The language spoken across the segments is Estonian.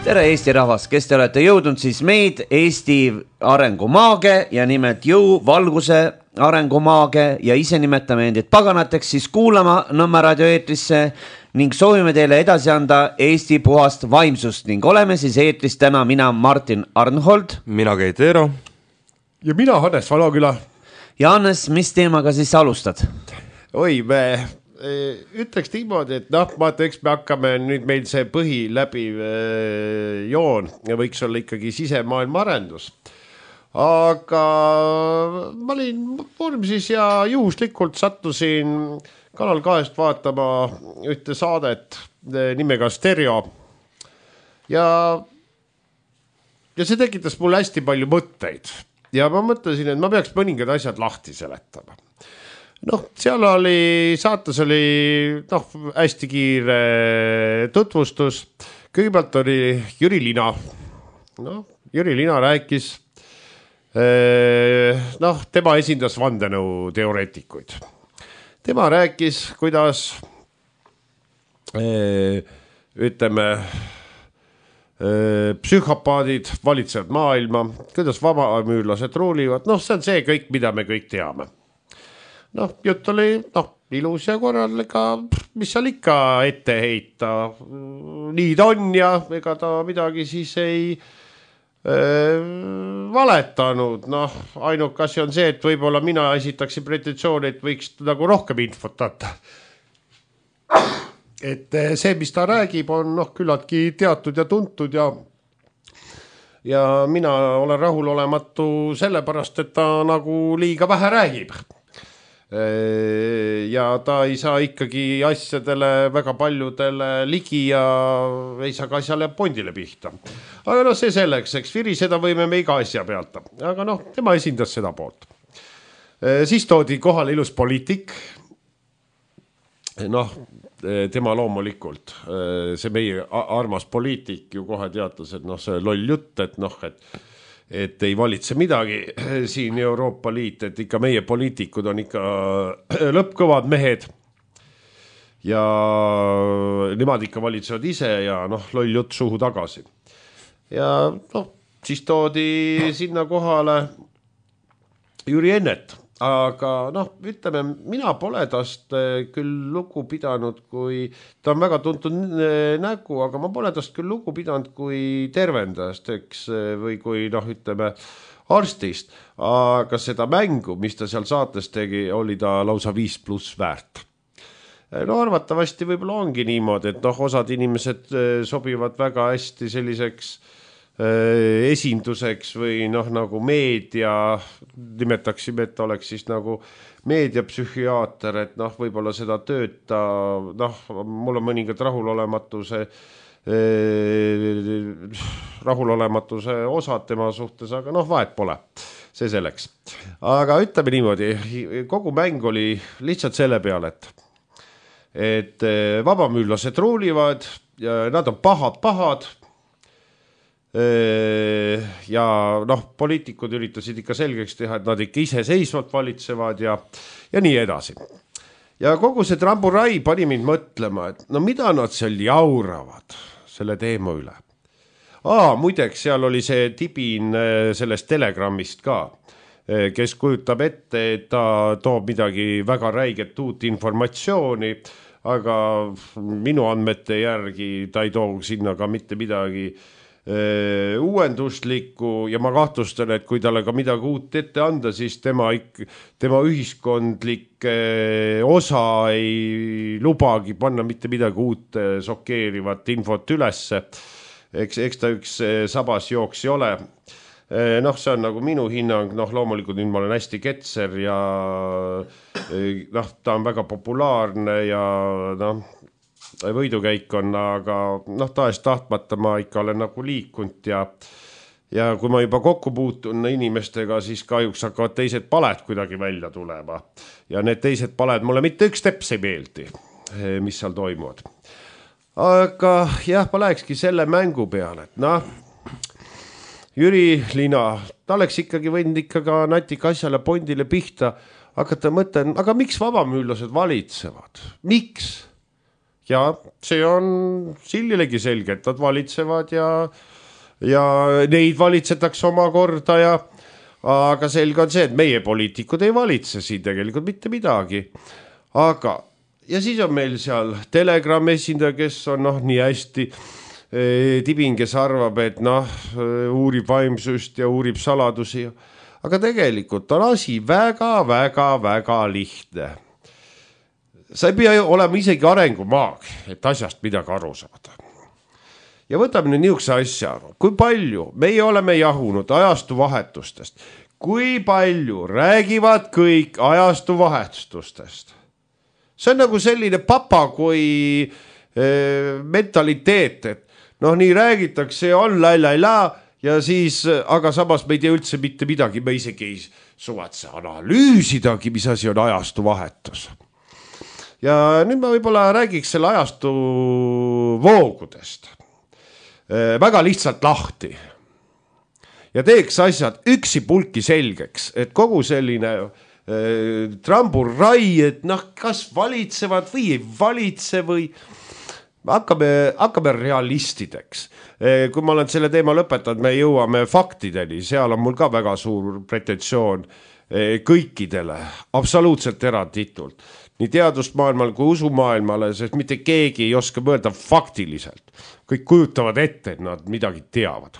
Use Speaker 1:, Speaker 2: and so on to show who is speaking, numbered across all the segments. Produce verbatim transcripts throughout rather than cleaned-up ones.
Speaker 1: tere Eesti rahvas, kes te olete jõudnud siis meid Eesti arengumaage ja nimelt jõu valguse arengumaage ja ise nimetame endid paganateks siis kuulama Nõmme raadio eetrisse ning soovime teile edasi anda Eesti puhast vaimsust ning oleme siis eetris täna mina Martin Arnhold,
Speaker 2: mina Keit Eero
Speaker 3: ja mina Hannes Valoküla.
Speaker 1: Ja Hannes, mis teemaga siis alustad?
Speaker 3: Oi, me ütleks niimoodi, et noh, ma teeks, me hakkame nüüd meil see põhi läbi joon ja võiks olla ikkagi sisemaailma arendus. Aga ma olin vormisis ja juhuslikult sattusin Kanal kahest vaatama ühte saadet nimega Stereo ja, ja see tekitas mulle hästi palju mõtteid ja ma mõtlesin, et ma peaks mõningad asjad lahti seletama. Noh, seal oli, saates oli noh, hästi kiire tutvustus. Kõigepealt oli Jüri Lina. Noh, Jüri Lina rääkis, noh, tema esindas vandenõu teoreetikuid. Tema rääkis, kuidas ütleme, psühhopaadid valitsevad maailma, kuidas vabamüürlased ruulivad. Noh, see on see kõik, mida me kõik teame. Noh, jutt oli noh, ilus ja korralega, mis seal ikka ette heita. Nii ta on ja ega ta midagi siis ei äh, valetanud. Noh, ainuke asi on see, et võib-olla mina esitaksin pretensiooni, et võiks nagu rohkem infot anda. Et see, mis ta räägib, on noh, küllaltki teatud ja tuntud ja ja mina olen rahulolematu sellepärast, et ta nagu liiga vähe räägib. Ja ta ei saa ikkagi asjadele väga paljudele ligi ja ei saa ka asjale pondile pihta. Aga noh, see selleks, eks viriseda võime me iga asja pealt. Aga noh, tema esindas seda poolt. Siis toodi kohale ilus poliitik. Noh, tema loomulikult, see meie armas poliitik ju kohe teatas, et noh, see loll jutt, et noh, et et ei valitse midagi siin Euroopa Liit, et ikka meie poliitikud on ikka lõppkõvad mehed ja nemad ikka valitsevad ise ja noh, loll jutt suhu tagasi. Ja noh, siis toodi sinna kohale Jüri Ennet, aga noh, ütleme, mina pole tast küll lugu pidanud, kui ta on väga tuntud nägu, aga ma pole tast küll lugu pidanud kui tervendajast, eks, või kui noh, ütleme, arstist, aga seda mängu, mis ta seal saates tegi, oli ta lausa viis pluss väärt. No arvatavasti võib-olla ongi niimoodi, et noh, osad inimesed sobivad väga hästi selliseks esinduseks või noh, nagu meedia, nimetaksime, et oleks siis nagu meediapsühhiaater, et noh, võib-olla seda tööta, noh, mul on mõningad rahulolematuse rahulolematuse osad tema suhtes, aga noh, vahet pole, see selleks. Aga ütleme niimoodi, kogu mäng oli lihtsalt selle peale, et et vabamüürlased ruulivad ja nad on pahad-pahad ja noh, poliitikud üritasid ikka selgeks teha, et nad ikka iseseisvalt valitsevad ja, ja nii edasi. Ja kogu see tramburai pani mind mõtlema, et no mida nad seal jauravad selle teema üle. Aa, muideks, seal oli see Tibin sellest Telegramist ka, kes kujutab ette, et ta toob midagi väga räiget uut informatsiooni, aga minu andmete järgi ta ei too sinna ka mitte midagi uuenduslikku ja ma kahtlustan, et kui talle ka midagi uut ette anda, siis tema, tema ühiskondlik osa ei lubagi panna mitte midagi uut šokeerivat infot ülesse. Eks, eks ta üks sabas jooks ei ole. Noh, see on nagu minu hinnang, noh, loomulikult nüüd ma olen hästi ketser ja noh, ta on väga populaarne ja noh, võidukäik on, aga noh, tahes tahtmata ma ikka olen nagu liikunud ja, ja kui ma juba kokku puutun inimestega, siis kahjuks hakkavad teised paled kuidagi välja tulema. Ja need teised paled mulle mitte üks teps ei meeldi, mis seal toimuvad. Aga jah, ma lähekski selle mängu peale, et noh, Jüri Lina, ta oleks ikkagi võinud ikka ka natika asjale pondile pihta, hakata mõtlen, aga miks vabamüürlased valitsevad? Miks? ja see on sillilegi selge, et nad valitsevad ja, ja neid valitsetakse omakorda ja aga selge on see, et meie poliitikud ei valitse siin tegelikult mitte midagi. Aga, ja siis on meil seal Telegram esindaja, kes on noh, nii hästi eh, tibin, kes arvab, et noh, uurib vaimsust ja uurib saladusi. Aga tegelikult on asi väga, väga, väga lihtne. Sa ei pea olema isegi arengumaag, et asjast midagi aru saada. Ja võtame nüüd niisuguse asja, kui palju meie oleme jahunud ajastu vahetustest, kui palju räägivad kõik ajastu vahetustest. See on nagu selline papagoi e, mentaliteet, et noh, nii räägitakse, on la-la-la ja siis, aga samas me ei tea üldse mitte midagi, me isegi ei suvatse analüüsidagi, mis asi on ajastu vahetus. Ja nüüd ma võib-olla räägiks selle ajastu voogudest. Väga lihtsalt lahti ja teeks asjad üksi pulki selgeks, et kogu selline äh, tramburrai, et noh, kas valitsevad või ei valitse või hakkame, hakkame realistideks. Äh, kui ma olen selle teema lõpetanud, me jõuame faktideni, seal on mul ka väga suur pretensioon äh, kõikidele, absoluutselt eranditult. Nii teadusmaailmal kui usumaailmale, sest mitte keegi ei oska mõelda faktiliselt. Kõik kujutavad ette, et nad midagi teavad.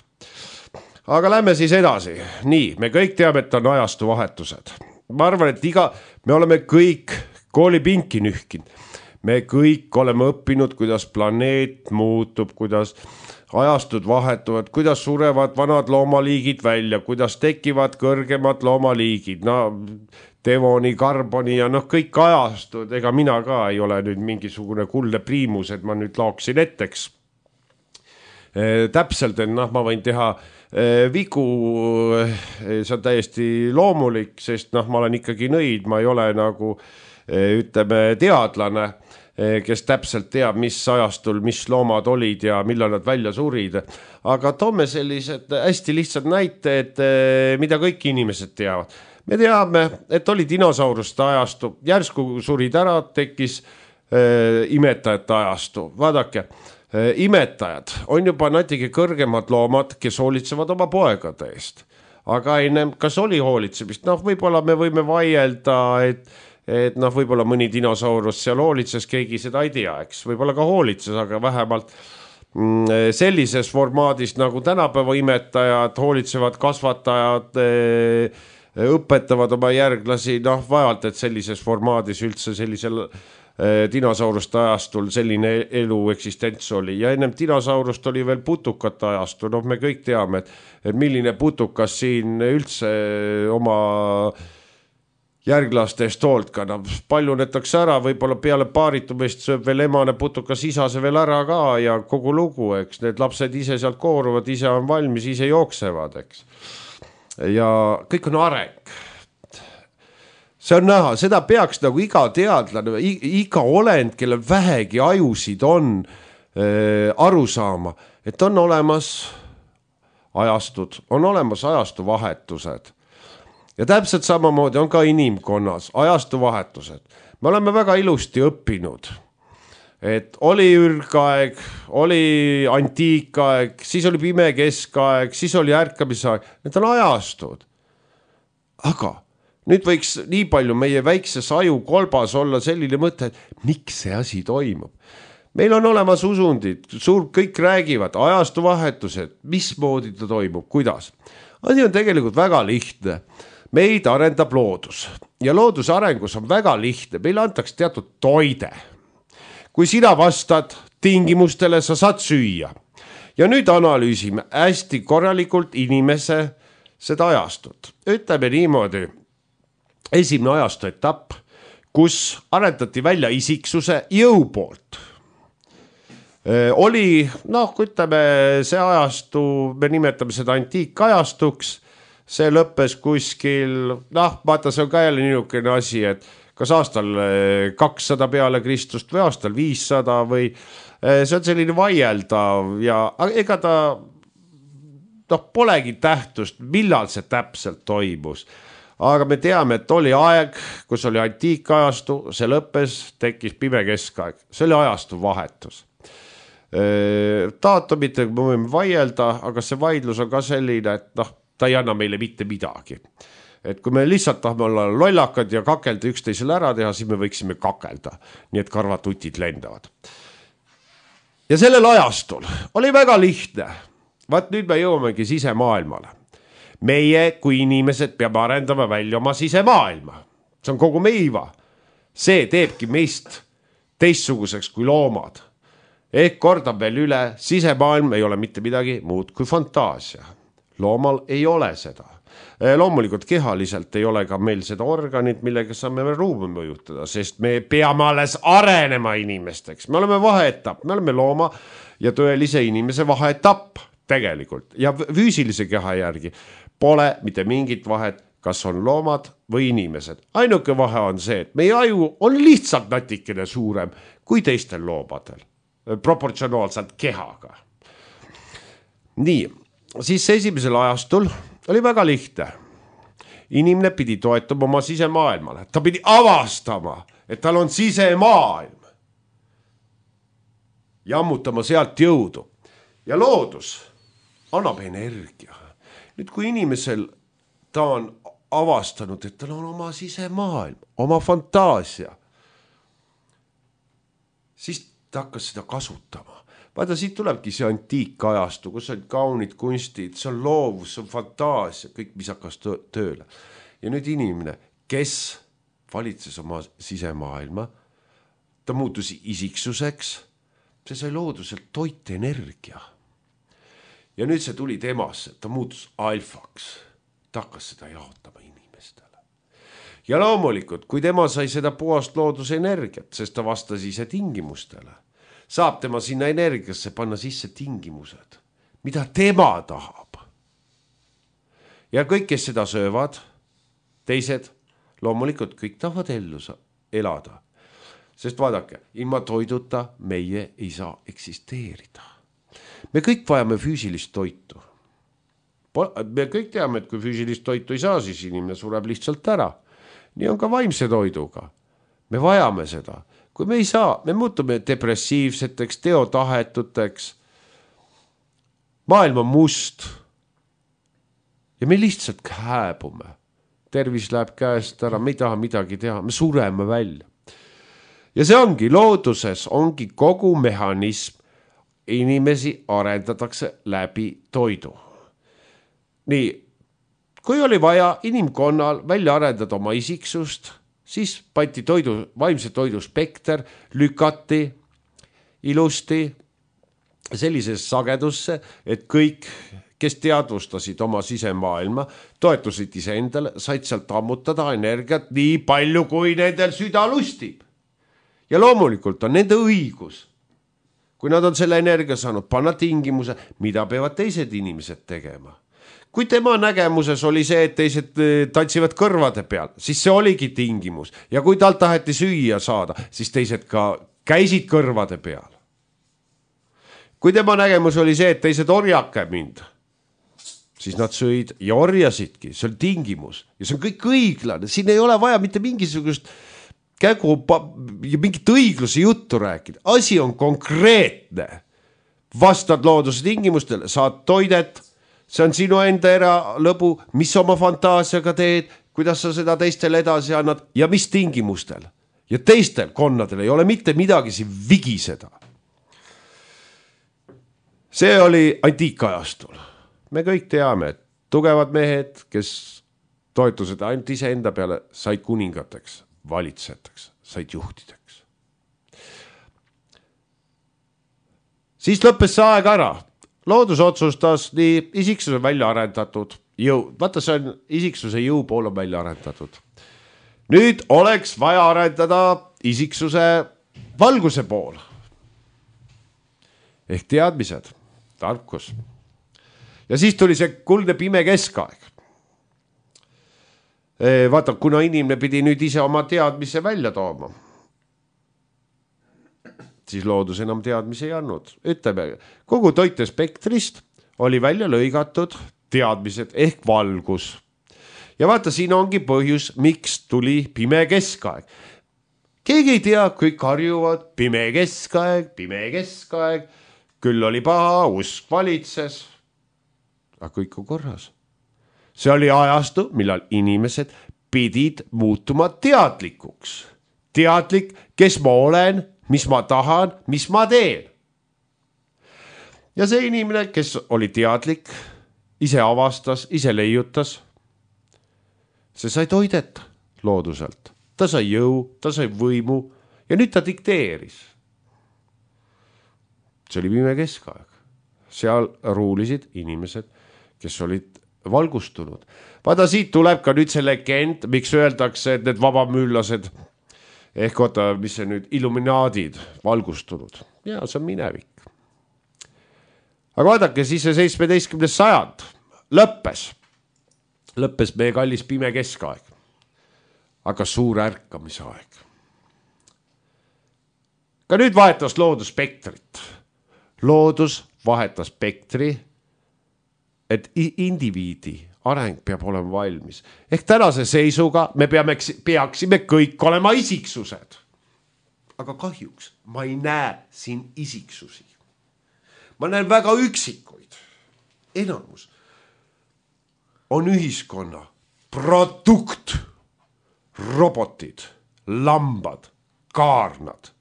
Speaker 3: Aga lähme siis edasi. Nii, me kõik teame, et on ajastu vahetused. Ma arvan, et iga, me oleme kõik koolipinki nühkinud. Me kõik oleme õppinud, kuidas planeet muutub, kuidas ajastud vahetuvad, kuidas surevad vanad loomaliigid välja, kuidas tekivad kõrgemad loomaliigid. No, Devoni, Karboni ja noh, kõik ajastud, ega mina ka ei ole nüüd mingisugune kuldne priimus, et ma nüüd laoksin etteks. E, täpselt, et noh, ma võin teha e, vigu, e, see on täiesti loomulik, sest noh, ma olen ikkagi nõid, ma ei ole nagu e, ütleme teadlane, e, kes täpselt teab, mis ajastul, mis loomad olid ja millal nad välja surid. Aga toome sellised hästi lihtsad näited, e, mida kõik inimesed teavad. Me teame, et oli dinosauruste ajastu, järsku surid ära, tekkis äh, imetajate ajastu. Vaadake, äh, imetajad on juba natuke kõrgemad loomad, kes hoolitsevad oma poegade eest. Aga enne, kas oli hoolitsemist? Noh, võib-olla me võime vaielda, et, et noh, võib-olla mõni dinosaurus seal hoolitses, keegi seda ei tea, eks. Võib-olla ka hoolitses, aga vähemalt mm, sellises formaadis nagu tänapäeva imetajad, hoolitsevad kasvatajad, äh, õpetavad oma järglasi, noh, vajalt, et sellises formaadis üldse sellisel eh, dinosauruste ajastul selline elu eksistents oli. Ja ennem dinosaurust oli veel putukate ajastu, noh, me kõik teame, et, et milline putukas siin üldse oma järglastest hoolt kannab. Paljunetakse ära, võib-olla peale paaritumist sööb veel emane putukas isase veel ära ka ja kogu lugu, eks. Need lapsed ise sealt kooruvad, ise on valmis, ise jooksevad, eks. Ja kõik on areng. See on näha, seda peaks nagu iga teadlane, iga olend, kelle vähegi ajusid on äh, aru saama, et on olemas ajastud, on olemas ajastu vahetused. Ja täpselt samamoodi on ka inimkonnas ajastu vahetused. Me oleme väga ilusti õppinud, et oli ürgaeg, oli antiikaeg, siis oli pime keskaeg, siis oli ärkamisaeg. Need on ajastud. Aga nüüd võiks nii palju meie väikses aju kolbas olla selline mõte, et miks see asi toimub. Meil on olemas usundid, suur, kõik räägivad, ajastu vahetused, mismoodi ta toimub, kuidas. Asi on tegelikult väga lihtne. Meid arendab loodus ja looduse arengus on väga lihtne. Meil antaks teatud toide. Kui sina vastad tingimustele, sa saad süüa. Ja nüüd analüüsime hästi korralikult inimese seda ajastut. Ütleme niimoodi, esimene ajastu etapp, kus arendati välja isiksuse jõu poolt. Oli, noh, kui ütleme, see ajastu, me nimetame seda antiikajastuks, see lõppes kuskil, noh, vaata, see on ka jälle niisugune asi, et kas aastal kakssada peale Kristust või aastal viissada või see on selline vaieldav ja ega ta noh, polegi tähtust, millal see täpselt toimus. aga me teame, et oli aeg, kus oli antiikajastu, see lõppes, tekkis pime keskaeg, see oli ajastu vahetus. Daatumitega me võime vaielda, aga see vaidlus on ka selline, et noh, ta ei anna meile mitte midagi. Et kui me lihtsalt tahame olla lollakad ja kakelda üksteisele ära teha, siis me võiksime kakelda, nii et karvatutid lendavad. Ja sellel ajastul oli väga lihtne. Vaat nüüd me jõuamegi sisemaailmale. Meie kui inimesed peame arendama välja oma sisemaailma. See on kogu meiva. See teebki meist teistsuguseks kui loomad. Ehk kordan veel üle, sisemaailm ei ole mitte midagi muud kui fantaasia. Loomal ei ole seda. Loomulikult kehaliselt ei ole ka meil seda organit, millega saame ruumi mõjutada, sest me peame alles arenema inimesteks. Me oleme vaheetapp, me oleme looma ja tõelise inimese vaheetapp tegelikult. Ja füüsilise keha järgi pole mitte mingit vahet, kas on loomad või inimesed. Ainuke vahe on see, et meie aju on lihtsalt natikene suurem kui teistel loomadel, proportsionaalselt kehaga. Nii, siis esimesel ajastul oli väga lihtne. Inimene pidi toetuma oma sisemaailmale. Ta pidi avastama, et tal on sisemaailm. Ja ammutama sealt jõudu. Ja loodus annab energia. Nüüd kui inimesel ta on avastanud, et tal on oma sisemaailm, oma fantaasia, siis ta hakkas seda kasutama. Vaata, siit tulebki see antiikajastu, kus on kaunid kunstid, see on loovus, see on fantaasia, kõik, mis hakkas tööle. Ja nüüd inimene, kes valitses oma sisemaailma, ta muutus isiksuseks, see sai looduselt toit energia. Ja nüüd see tuli temasse, ta muutus alfaks, ta hakkas seda jaotama inimestele. Ja loomulikult, kui tema sai seda puhast looduse energiat, sest ta vastas ise tingimustele, saab tema sinna energiasse panna sisse tingimused, mida tema tahab. Ja kõik, kes seda söövad, teised, loomulikult kõik tahavad ellu elada. Sest vaadake, ilma toiduta meie ei saa eksisteerida. Me kõik vajame füüsilist toitu. Me kõik teame, et kui füüsilist toitu ei saa, siis inimene sureb lihtsalt ära. Nii on ka vaimse toiduga. Me vajame seda. Kui me ei saa, me muutume depressiivseteks, teotahetuteks. Maailm on must. Ja me lihtsalt hääbume. Tervis läheb käest ära, me ei taha midagi teha, me sureme välja. Ja see ongi, looduses ongi kogu mehhanism, inimesi arendatakse läbi toidu. Nii, kui oli vaja inimkonnal välja arendada oma isiksust, siis pandi toidu, vaimse toidu spekter, lükati ilusti sellises sagedusse, et kõik, kes teadvustasid oma sisemaailma, toetusid iseendale, said sealt ammutada energiat nii palju, kui nendel süda lustib. Ja loomulikult on nende õigus, kui nad on selle energia saanud, panna tingimuse, mida peavad teised inimesed tegema. Kui tema nägemuses oli see, et teised tantsivad kõrvade peal, siis see oligi tingimus. Ja kui tal taheti süüa saada, siis teised ka käisid kõrvade peal. Kui tema nägemus oli see, et teised orjake mind, siis nad sõid ja orjasidki, see on tingimus. Ja see on kõik õiglane, siin ei ole vaja mitte mingisugust kägu ja mingit õigluse juttu rääkida. Asi on konkreetne. Vastad looduse tingimustele, saad toidet, see on sinu enda eralõbu, mis oma fantaasiaga teed, kuidas sa seda teistele edasi annad ja mis tingimustel. Ja teistel konnadel ei ole mitte midagi siin vigiseda. See oli antiikajastul. Me kõik teame, et tugevad mehed, kes toetused ainult ise enda peale, said kuningateks, valitseteks, said juhtideks. Siis lõppes see aeg ära. Loodus otsustas nii isiksuse välja arendatud jõu. Vaata, see on isiksuse jõu pool on välja arendatud. Nüüd oleks vaja arendada isiksuse valguse pool. Ehk teadmised, tarkus. Ja siis tuli see kuldne pime keskaeg. Vaata, kuna inimene pidi nüüd ise oma teadmise välja tooma, siis loodus enam teadmise ei andnud. Ütleme, kogu toitespektrist oli välja lõigatud teadmised ehk valgus. ja vaata, siin ongi põhjus, miks tuli pime keskaeg. Keegi ei tea, kõik harjuvad, pime keskaeg, pime keskaeg, küll oli paha, usk valitses, aga kõik on korras. See oli ajastu, millal inimesed pidid muutuma teadlikuks. Teadlik, kes ma olen, mis ma tahan, mis ma teen. Ja see inimene, kes oli teadlik, ise avastas, ise leiutas, see sai toidet looduselt. Ta sai jõu, ta sai võimu ja nüüd ta dikteeris. See oli pime keskaeg. Seal ruulisid inimesed, kes olid valgustunud. Vaata, siit tuleb ka nüüd see legend, miks öeldakse, et need vabamüüllased ehk oota, mis see nüüd, illuminaadid valgustunud. Ja see on minevik. Aga vaadake, siis see seitsmeteistkümnes sajand lõppes. Lõppes meie kallis pime keskaeg. Aga suur ärkamise aeg. Ka nüüd vahetas loodus spektrit. Loodus vahetas spektri, et indiviidi areng peab olema valmis. Ehk tänase seisuga me peame, peaksime kõik olema isiksused. Aga kahjuks ma ei näe siin isiksusi. Ma näen väga üksikuid. Enamus on ühiskonna produkt, robotid, lambad, kaarnad.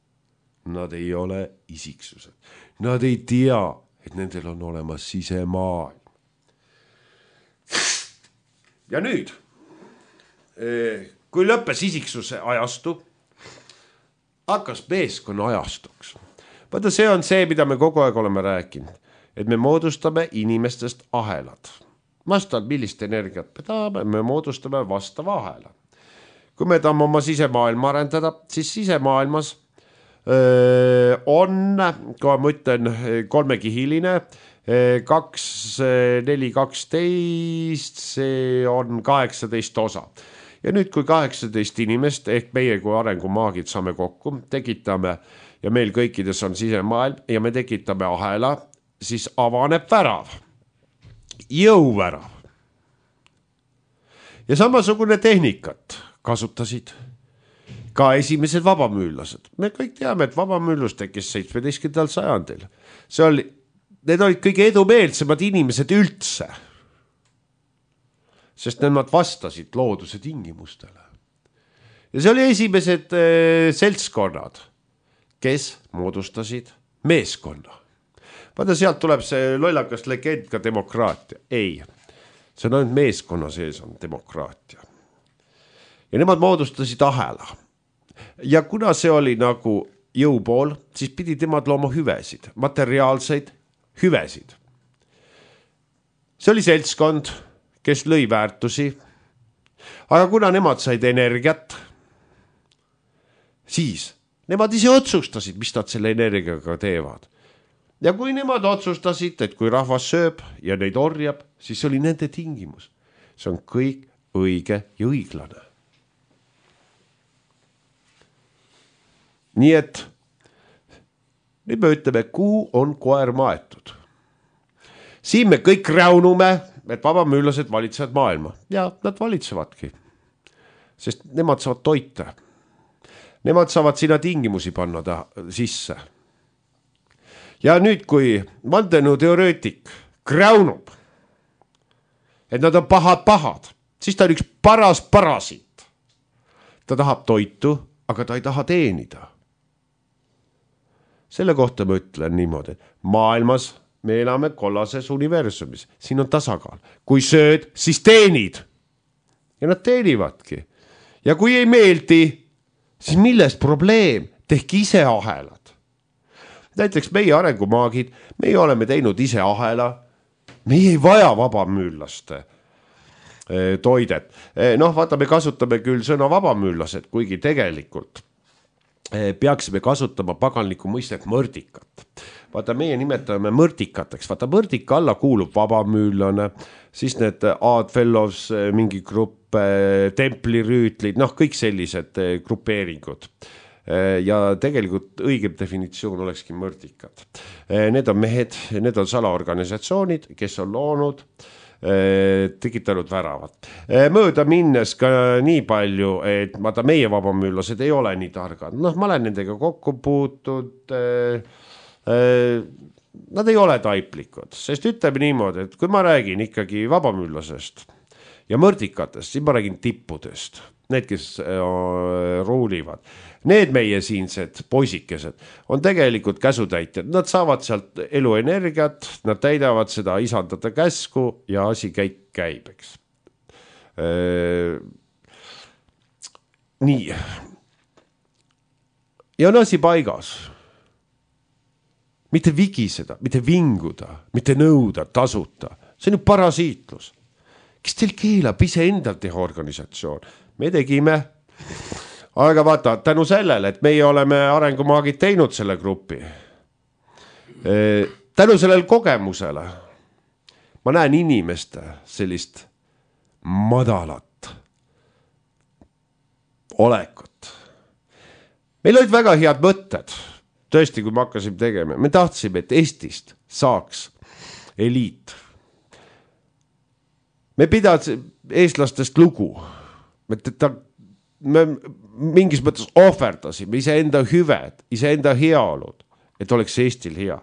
Speaker 3: Nad ei ole isiksused. Nad ei tea, et nendel on olemas sisemaailm. Ja nüüd, kui lõppes isiksuse ajastu, hakkas meeskonna ajastuks. Vaata, see on see, mida me kogu aeg oleme rääkinud, et me moodustame inimestest ahelad. Vastavalt millist energiat me tahame, me moodustame vastava ahela. Kui me tahame oma sisemaailma arendada, siis sisemaailmas öö, on, kui ma ütlen, kolmekihiline, kaks, neli, kaksteist, see on kaheksateist osa. Ja nüüd, kui kaheksateist inimest, ehk meie kui arengumaagid saame kokku, tekitame ja meil kõikides on sisemaailm ja me tekitame ahela, siis avaneb värav, jõuvärav. Ja samasugune tehnikat kasutasid ka esimesed vabamüüllased. Me kõik teame, et vabamüüllus tekkis seitsmeteistkümnendal sajandil. See oli, need olid kõige edumeelsemad inimesed üldse, sest nemad vastasid looduse tingimustele. Ja see oli esimesed äh, seltskonnad, kes moodustasid meeskonna. Vaata, sealt tuleb see lollakas legend ka demokraatia. Ei, see on ainult meeskonna sees on demokraatia. Ja nemad moodustasid ahela. Ja kuna see oli nagu jõupool, siis pidi temad looma hüvesid, materiaalseid hüvesid. See oli seltskond, kes lõi väärtusi, aga kuna nemad said energiat, siis nemad ise otsustasid, mis nad selle energiaga teevad. Ja kui nemad otsustasid, et kui rahvas sööb ja neid orjab, siis oli nende tingimus. See on kõik õige ja õiglane. Nii et nüüd me ütleme, kuhu on koer maetud. Siin me kõik räunume, et vabamüüllased valitsevad maailma. Ja nad valitsevadki, sest nemad saavad toita. Nemad saavad sinna tingimusi panna ta sisse. Ja nüüd, kui vandenõuteoreetik kräunub, et nad on pahad-pahad, siis ta on üks paras parasit. Ta tahab toitu, aga ta ei taha teenida. Selle kohta ma ütlen niimoodi, et maailmas me elame kollases universumis. Siin on tasakaal. Kui sööd, siis teenid. Ja nad teenivadki. Ja kui ei meeldi, siis milles probleem? Tehki ise ahelad. Näiteks meie arengumaagid, meie oleme teinud ise ahela. Meie ei vaja vabamüüllaste toidet. Noh, vaata, me kasutame küll sõna vabamüüllased, kuigi tegelikult peaksime kasutama paganlikku mõistet mõrdikat. Vaata, meie nimetame mõrdikateks. Vaata, mõrdika alla kuulub vabamüüllane, siis need Odd Fellows, mingi grupp, templirüütlid, noh, kõik sellised grupeeringud. Ja tegelikult õigem definitsioon olekski mõrdikad. Need on mehed, need on salaorganisatsioonid, kes on loonud tekitanud väravat. Mööda minnes ka nii palju, et vaata meie vabamüürlased ei ole nii targad. Noh, ma olen nendega kokku puutud, nad ei ole taiplikud, sest ütleme niimoodi, et kui ma räägin ikkagi vabamüürlasest ja mõrdikatest, siis ma räägin tippudest. Need, kes ruulivad, need meie siinsed poisikesed on tegelikult käsutäitjad. Nad saavad sealt eluenergiat, nad täidavad seda isandada käsku ja asi käik käib, eks. Nii. Ja on asi paigas. Mitte vigiseda, mitte vinguda, mitte nõuda, tasuta. See on ju parasiitlus. Kes teil keelab ise endal teha organisatsioon? Me tegime, aga vaata, tänu sellele, et meie oleme arengumaagid teinud selle grupi, tänu sellele kogemusele, ma näen inimeste sellist madalat olekut. Meil olid väga head mõtted, tõesti, kui me hakkasime tegema, me tahtsime, et Eestist saaks eliit. Me pidasime eestlastest lugu. Me, ta, me mingis mõttes ohverdasime ise enda hüved, ise enda heaolud, et oleks Eestil hea.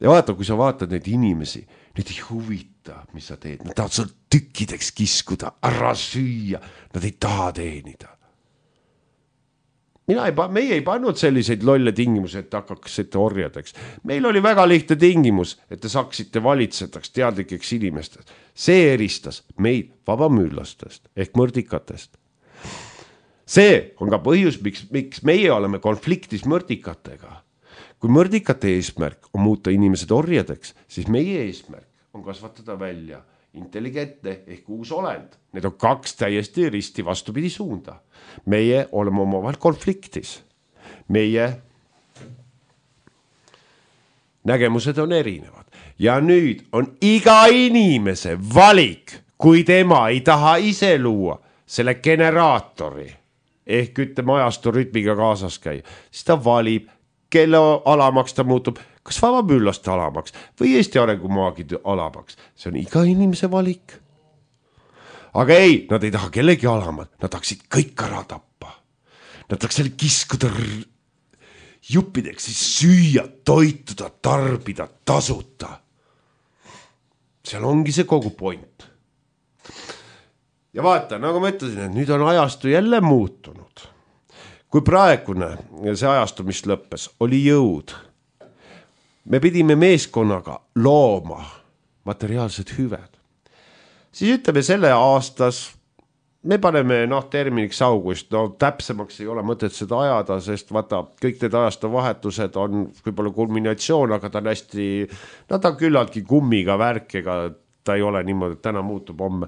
Speaker 3: Ja vaata, kui sa vaatad neid inimesi, need ei huvita, mis sa teed. Nad tahavad sul tükkideks kiskuda, ära süüa, nad ei taha teenida. Mina ei, meie ei pannud selliseid lolle tingimusi, et hakkaksite orjadeks. Meil oli väga lihtne tingimus, et te saaksite valitsetaks teadlikeks inimestest. See eristas meid vabamüürlastest ehk mõrdikatest. See on ka põhjus, miks, miks meie oleme konfliktis mõrdikatega. Kui mõrdikate eesmärk on muuta inimesed orjadeks, siis meie eesmärk on kasvatada välja intelligentne ehk uus olend. Need on kaks täiesti risti vastupidi suunda. Meie oleme omavahel konfliktis. Meie nägemused on erinevad. Ja nüüd on iga inimese valik, kui tema ei taha ise luua selle generaatori ehk ütleme ajastu rütmiga kaasas käia, siis ta valib, kelle alamaks ta muutub, kas vabamüürlaste alamaks või Eesti arengumaagide alamaks. See on iga inimese valik. Aga ei, nad ei taha kellegi alamad, nad tahaksid kõik ära tappa. Nad tahaks selle kiskuda r... juppideks, siis süüa, toituda, tarbida, tasuta. Seal ongi see kogu point. Ja vaata, nagu ma ütlesin, et nüüd on ajastu jälle muutunud. Kui praegune see ajastu, mis lõppes, oli jõud. Me pidime meeskonnaga looma materiaalsed hüved. Siis ütleme selle aastas, me paneme noh, terminiks august, no täpsemaks ei ole mõtet seda ajada, sest vaata, kõik need ajastu vahetused on võib-olla kulminatsioon, aga ta on hästi, no ta on küllaltki kummiga värk, ega ta ei ole niimoodi, et täna muutub homme,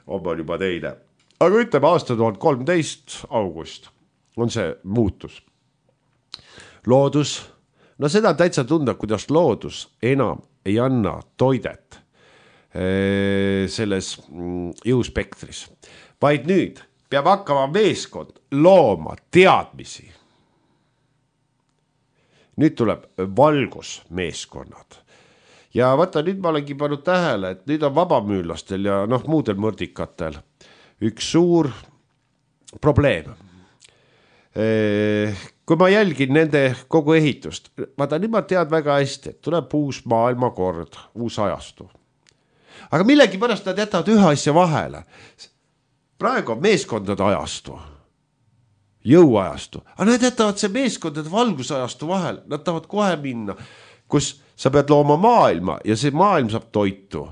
Speaker 3: homme on juba teine. Aga ütleme aasta tuhat kolmteist august on see muutus. Loodus, no seda täitsa tunda, kuidas loodus enam ei anna toidet selles jõuspektris. Vaid nüüd peab hakkama meeskond looma teadmisi. Nüüd tuleb valgusmeeskonnad. Ja vaata, nüüd ma olengi pannud tähele, et nüüd on vabamüürlastel ja noh, muudel mõrdikatel üks suur probleem. Kui ma jälgin nende kogu ehitust, vaata, nüüd ma tead väga hästi, et tuleb uus maailmakord, uus ajastu. Aga millegi pärast nad jätavad ühe asja vahele. Praegu on meeskondade ajastu, jõuajastu, aga nad jätavad see meeskondade valgusajastu vahel. Nad tahavad kohe minna, kus sa pead looma maailma ja see maailm saab toitu.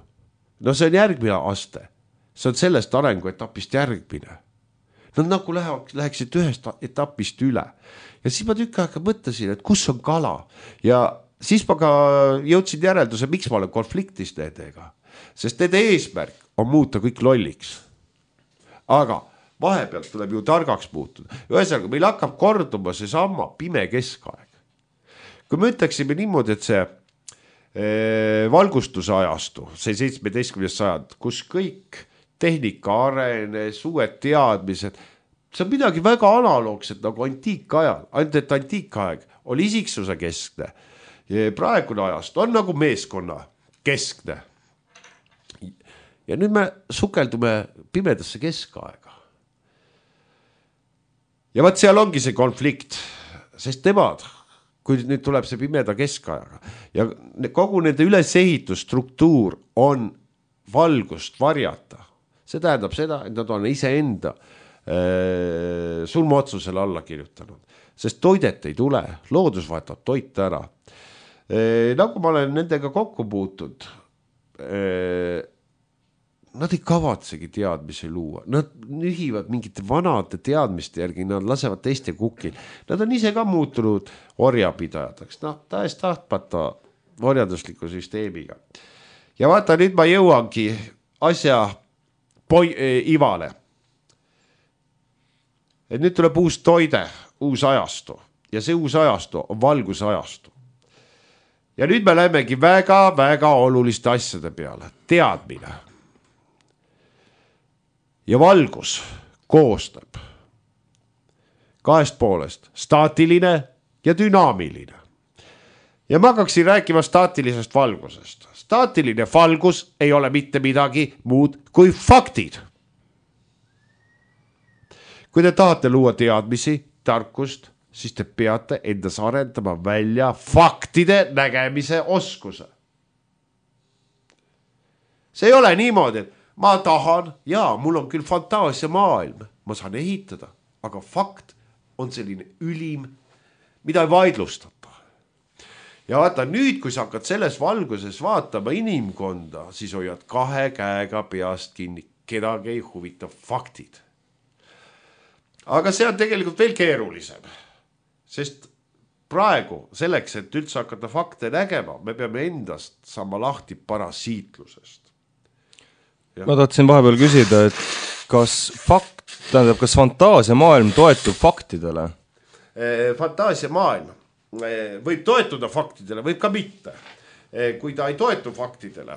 Speaker 3: No see on järgmine aste. See on sellest arenguetapist järgmine. Nad nagu läheksid ühest etapist üle. Ja siis ma tükk aega mõtlesin, et kus on kala. Ja siis ma ka jõudsin järelduse, miks ma olen konfliktis nendega. Sest nende eesmärk on muuta kõik lolliks. Aga vahepealt tuleb ju targaks muutuda. Ühesõnaga, meil hakkab korduma see sama pime keskaeg. Kui me ütleksime niimoodi, et see ee, valgustuse ajastu, see seitsmeteistkümnes sajand, kus kõik tehnika arenes, uued teadmised, see on midagi väga analoogset nagu antiikajal. Ainult et antiikaeg oli isiksuse keskne. Praegune ajast on nagu meeskonna keskne. ja nüüd me sukeldume pimedasse keskaega. Ja vaat seal ongi see konflikt, sest nemad, kui nüüd tuleb see pimeda keskajaga ja kogu nende ülesehitusstruktuur on valgust varjata. See tähendab seda, et nad on iseenda äh, sulmaotsusele alla kirjutanud, sest toidet ei tule, loodus vahetab toit ära. Äh, nagu ma olen nendega kokku puutud, äh, nad ei kavatsegi teadmisi luua, nad nühivad mingite vanade teadmiste järgi, nad lasevad teiste kukil. Nad on ise ka muutunud orjapidajateks, noh, tahes tahtmata orjadusliku süsteemiga. Ja vaata, nüüd ma jõuangi asja poi, äh, Ivale. Et nüüd tuleb uus toide, uus ajastu ja see uus ajastu on valguse ajastu. Ja nüüd me lähemegi väga, väga oluliste asjade peale, teadmine. Ja valgus koostab kahest poolest, staatiline ja dünaamiline. Ja ma hakkaksin rääkima staatilisest valgusest. Staatiline valgus ei ole mitte midagi muud kui faktid. Kui te tahate luua teadmisi, tarkust, siis te peate endas arendama välja faktide nägemise oskuse. See ei ole niimoodi, et ma tahan, jaa, mul on küll fantaasia maailm, ma saan ehitada, aga fakt on selline ülim, mida ei vaidlustata. Ja vaata, nüüd, kui sa hakkad selles valguses vaatama inimkonda, siis hoiad kahe käega peast kinni, kedagi ei huvita faktid. Aga see on tegelikult veel keerulisem, sest praegu selleks, et üldse hakata fakte nägema, me peame endast saama lahti parasiitlusest. Ja.
Speaker 2: Ma tahtsin vahepeal küsida, et kas fakt, tähendab, kas fantaasia maailm toetub faktidele?
Speaker 3: Fantaasia maailm võib toetuda faktidele, võib ka mitte. Kui ta ei toetu faktidele,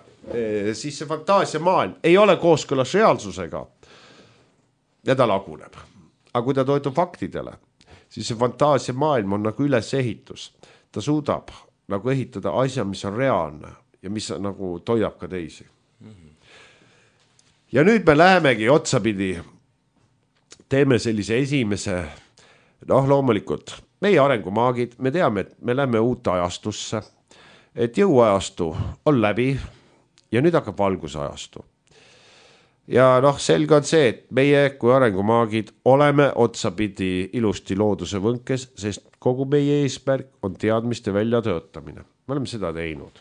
Speaker 3: siis see fantaasia maailm ei ole kooskõlas reaalsusega ja ta laguneb. Aga kui ta toetub faktidele, siis see fantaasia maailm on nagu ülesehitus. Ta suudab nagu ehitada asja, mis on reaalne ja mis nagu toidab ka teisi. Ja nüüd me lähemegi otsapidi, teeme sellise esimese, noh loomulikult, meie arengumaagid, me teame, et me läheme uute ajastusse, et jõuajastu on läbi ja nüüd hakkab valgusajastu. Ja noh, selge on see, et meie kui arengumaagid oleme otsapidi ilusti looduse võnkes, sest kogu meie eesmärk on teadmiste väljatöötamine. Me oleme seda teinud.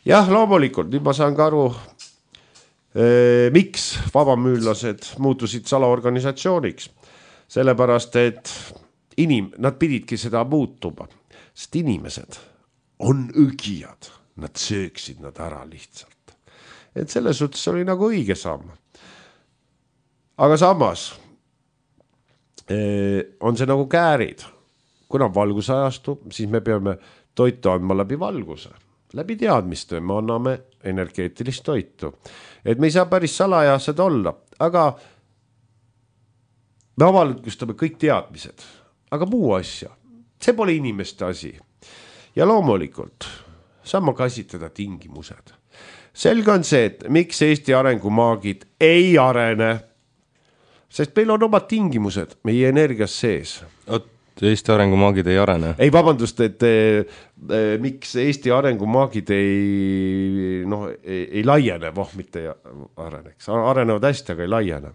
Speaker 3: Jah, loomulikult, nüüd ma saan ka aru, miks vabamüüllased muutusid salaorganisatsiooniks, sellepärast, et inim, nad pididki seda muutuma, sest inimesed on õgijad, nad sööksid nad ära lihtsalt. Et selles suhtes oli nagu õige samm. Aga samas on see nagu käärid, kuna on valgusajastu, siis me peame toitu andma läbi valguse. Läbi teadmiste me anname energeetilist toitu. Et me ei saa päris salajased olla, aga me avalikustame kõik teadmised, aga muu asja, see pole inimeste asi. Ja loomulikult saame käsitleda tingimused. Selge on see, et miks Eesti arengumaagid ei arene, sest meil on omad tingimused meie energias sees.
Speaker 2: Oot, Eesti arengumaagid ei arene?
Speaker 3: Ei, vabandust, et e, e, miks Eesti arengumaagid ei, noh, ei, ei laiene, voh, mitte ei areneks. Arenevad hästi, aga ei laiene.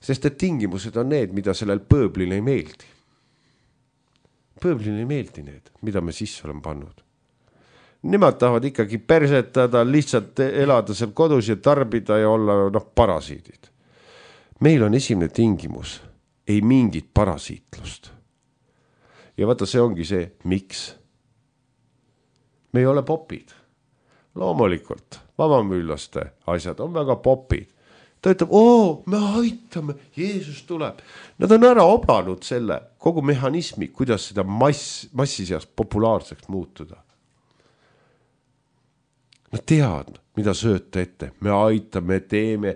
Speaker 3: Sest et tingimused on need, mida sellel pööblil ei meeldi. Pööblil ei meeldi need, mida me sisse oleme pannud. Nemad tahavad ikkagi persetada, lihtsalt elada seal kodus ja tarbida ja olla noh, parasiidid. Meil on esimene tingimus, ei mingit parasiitlust. Ja vaata, see ongi see, miks. Me ei ole popid. Loomulikult, vabamüüllaste asjad on väga popid. Ta ütleb, oo, me aitame, Jeesus tuleb. Nad on ära obanud selle kogu mehhanismi, kuidas seda mass, massi seas populaarseks muutuda. Nad teavad, mida sööta ette. Me aitame, teeme,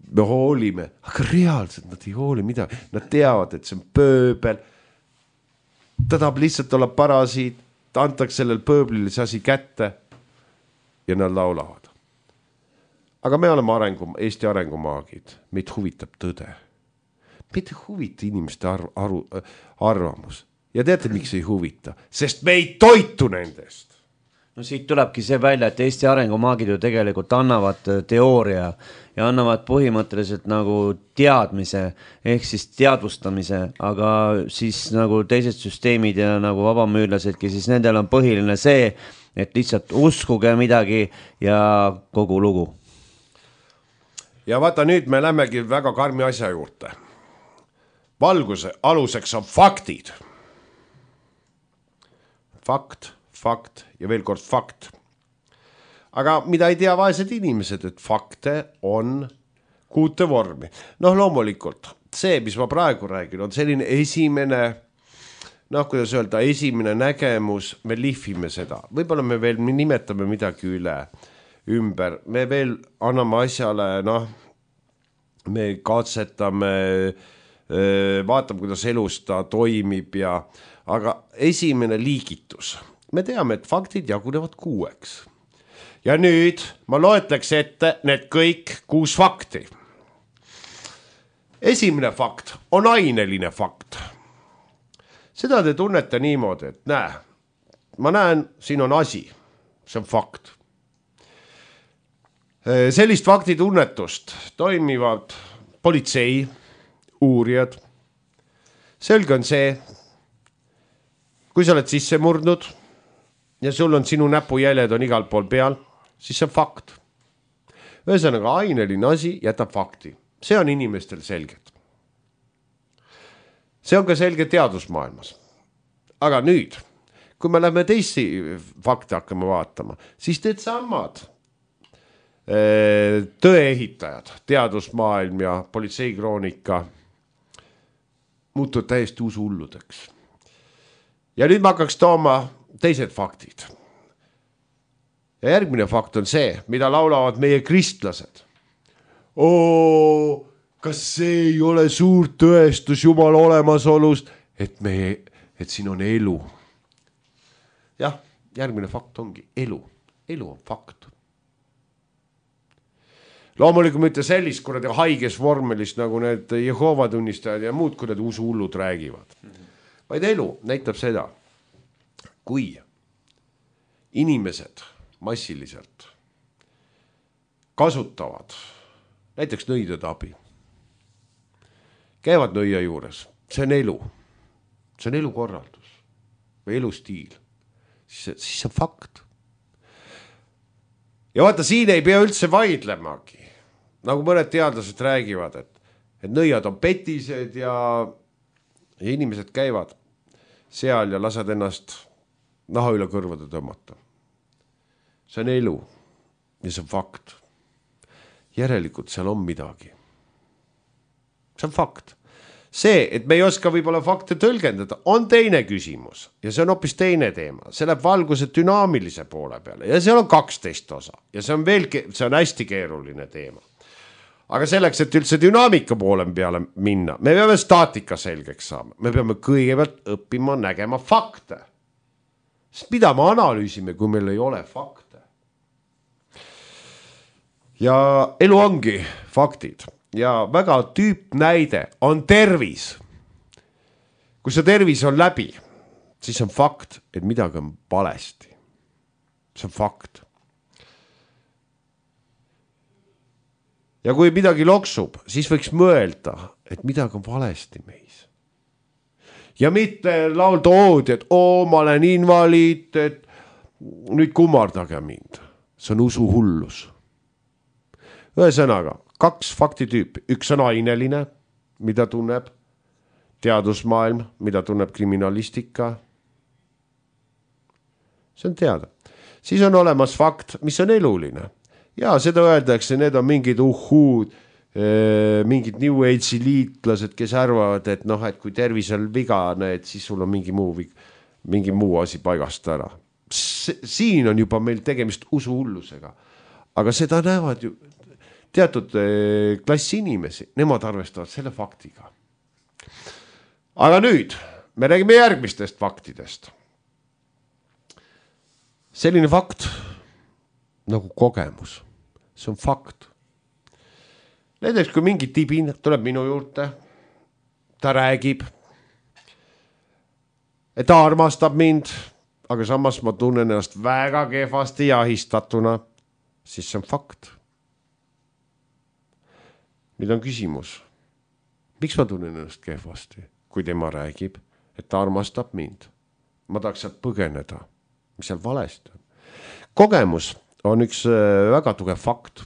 Speaker 3: me hoolime. Aga reaalselt nad ei hooli midagi. Nad teavad, et see on pööbel. Ta tahab lihtsalt olla parasiit. Ta antaks sellel pööblile see asi kätte ja nad laulavad. aga me oleme arengu, Eesti arengumaagid, meid huvitab tõde. Meid ei huvita inimeste arv, arv, arvamus. Ja teate, miks ei huvita? Sest me ei toitu nendest.
Speaker 1: No siit tulebki see välja, et Eesti arengumaagid ju tegelikult annavad teooria ja annavad põhimõtteliselt nagu teadmise ehk siis teadvustamise, aga siis nagu teised süsteemid ja nagu vabamüürlasedki, siis nendel on põhiline see, et lihtsalt uskuge midagi ja kogu lugu.
Speaker 3: Ja vaata, nüüd me lämmegi väga karmi asja juurde. Valguse aluseks on faktid. Fakt. Fakt ja veel kord fakt. Aga mida ei tea vaesed inimesed, et fakte on kuute vormi. Noh, loomulikult, see, mis ma praegu räägin, on selline esimene, noh, kuidas öelda, esimene nägemus, me lihvime seda. Võib-olla me veel me nimetame midagi üle, ümber. Me veel anname asjale, noh, me katsetame, vaatame, kuidas elus ta toimib ja, aga esimene liigitus. Me teame, et faktid jagunevad kuueks. Ja nüüd ma loetleks ette need kõik kuus fakti. Esimene fakt on aineline fakt. Seda te tunnete niimoodi, et näe, ma näen, siin on asi. See on fakt. Sellist faktitunnetust toimivad politsei, uurijad. Selge on see, kui sa oled sisse murdnud, ja sul on sinu näpujäljed on igal pool peal, siis see on fakt. Ühesõnaga, aineline asi jätab fakti. See on inimestel selged. See on ka selge teadusmaailmas. Aga nüüd, kui me lähme teisi fakte hakkame vaatama, siis need samad tõeehitajad, teadusmaailm ja politseikroonika muutuvad täiesti usuhulludeks. Ja nüüd ma hakkaks tooma teised faktid. Ja järgmine fakt on see, mida laulavad meie kristlased. Oo, kas see ei ole suur tõestus Jumala olemasolust, et, me, et siin on elu? Jah, järgmine fakt ongi elu. Elu on fakt. Loomulikult mitte sellist, kui need haiges vormelist, nagu need Jehova tunnistajad ja muud, kui need usuhullud räägivad. Vaid elu näitab seda, kui inimesed massiliselt kasutavad näiteks nõidade abi, käivad nõia juures, see on elu, see on elukorraldus või elustiil, siis, siis see on fakt. Ja vaata, siin ei pea üldse vaidlemagi, nagu mõned teadlased räägivad, et, et nõiad on petised ja, ja inimesed käivad seal ja lased ennast naha üle kõrvade tõmmata. See on elu ja see on fakt. Järelikult seal on midagi. See on fakt. See, et me ei oska võib-olla fakte tõlgendada, on teine küsimus ja see on hoopis teine teema. See läheb valguse dünaamilise poole peale ja seal on kaksteist osa ja see on, veel, see on hästi keeruline teema. Aga selleks, et üldse dünaamika poole peale minna, me peame staatika selgeks saama. Me peame kõigepealt õppima nägema fakte. Sest mida me analüüsime, kui meil ei ole fakte? Ja elu ongi faktid. Ja väga tüüpnäide on tervis. Kui see tervis on läbi, siis on fakt, et midagi on valesti. See on fakt. Ja kui midagi loksub, siis võiks mõelda, et midagi on valesti meis. Ja mitte laulda oodi, et oo, ma olen invaliid, et nüüd kummardage mind. See on usuhullus. Ühesõnaga, kaks faktitüüpi. Üks on aineline, mida tunneb teadusmaailm, mida tunneb kriminalistika. See on teada. Siis on olemas fakt, mis on eluline. Ja seda öeldakse, need on mingid uhuud, mingid New Age'i liitlased, kes arvavad, et noh, et kui tervis on vigane, et siis sul on mingi muu, mingi muu asi paigast ära. Siin on juba meil tegemist usuhullusega. Aga seda näevad ju teatud klassi inimesi, nemad arvestavad selle faktiga. Aga nüüd, me räägime järgmistest faktidest. Selline fakt nagu kogemus. See on fakt. näiteks kui mingi tibin tuleb minu juurde, ta räägib, et ta armastab mind, aga samas ma tunnen ennast väga kehvasti jahistatuna, siis see on fakt. Nüüd on küsimus, miks ma tunnen ennast kehvasti, kui tema räägib, et ta armastab mind. Ma tahaks sealt põgeneda, mis seal valesti on. Kogemus on üks väga tugev fakt,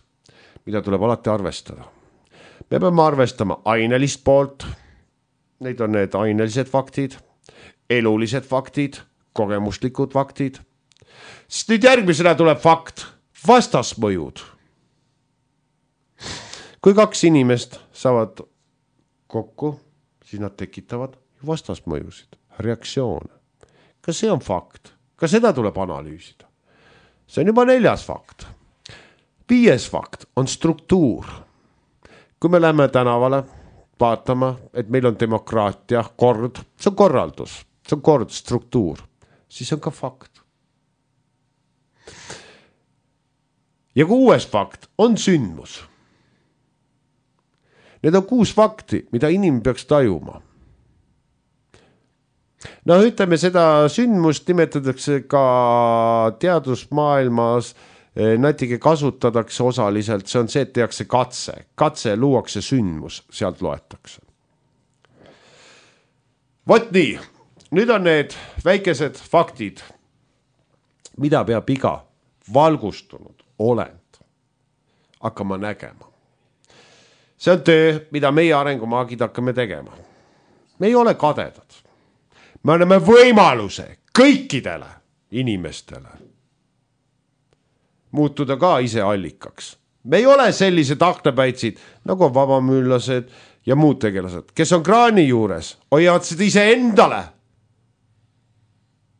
Speaker 3: mida tuleb alati arvestada. Me peame arvestama ainelist poolt, neid on need ainelised faktid, elulised faktid, kogemuslikud faktid. Siis nüüd järgmisena tuleb fakt, vastasmõjud. Kui kaks inimest saavad kokku, siis nad tekitavad vastasmõjusid, reaktsioone. Ka see on fakt, ka seda tuleb analüüsida. See on juba neljas fakt. Viies fakt on struktuur. Kui me läheme tänavale vaatama, et meil on demokraatia, kord, see on korraldus, see on kord, struktuur, siis on ka fakt. Ja kuues fakt on sündmus. Need on kuus fakti, mida inimene peaks tajuma. No ütleme, seda sündmust nimetatakse ka teadusmaailmas, natuke kasutatakse osaliselt, see on see, et tehakse katse. Katse luuakse sündmus, sealt loetakse. Vot nii, nüüd on need väikesed faktid, mida peab iga valgustunud olend hakkama nägema. See on töö, mida meie arengumaagid hakkame tegema. Me ei ole kadedad. Me anname võimaluse kõikidele inimestele muutuda ka ise allikaks. Me ei ole sellised aknapäitsid, nagu on vabamüüllased ja muud tegelased, kes on kraani juures, hoiavad seda ise endale.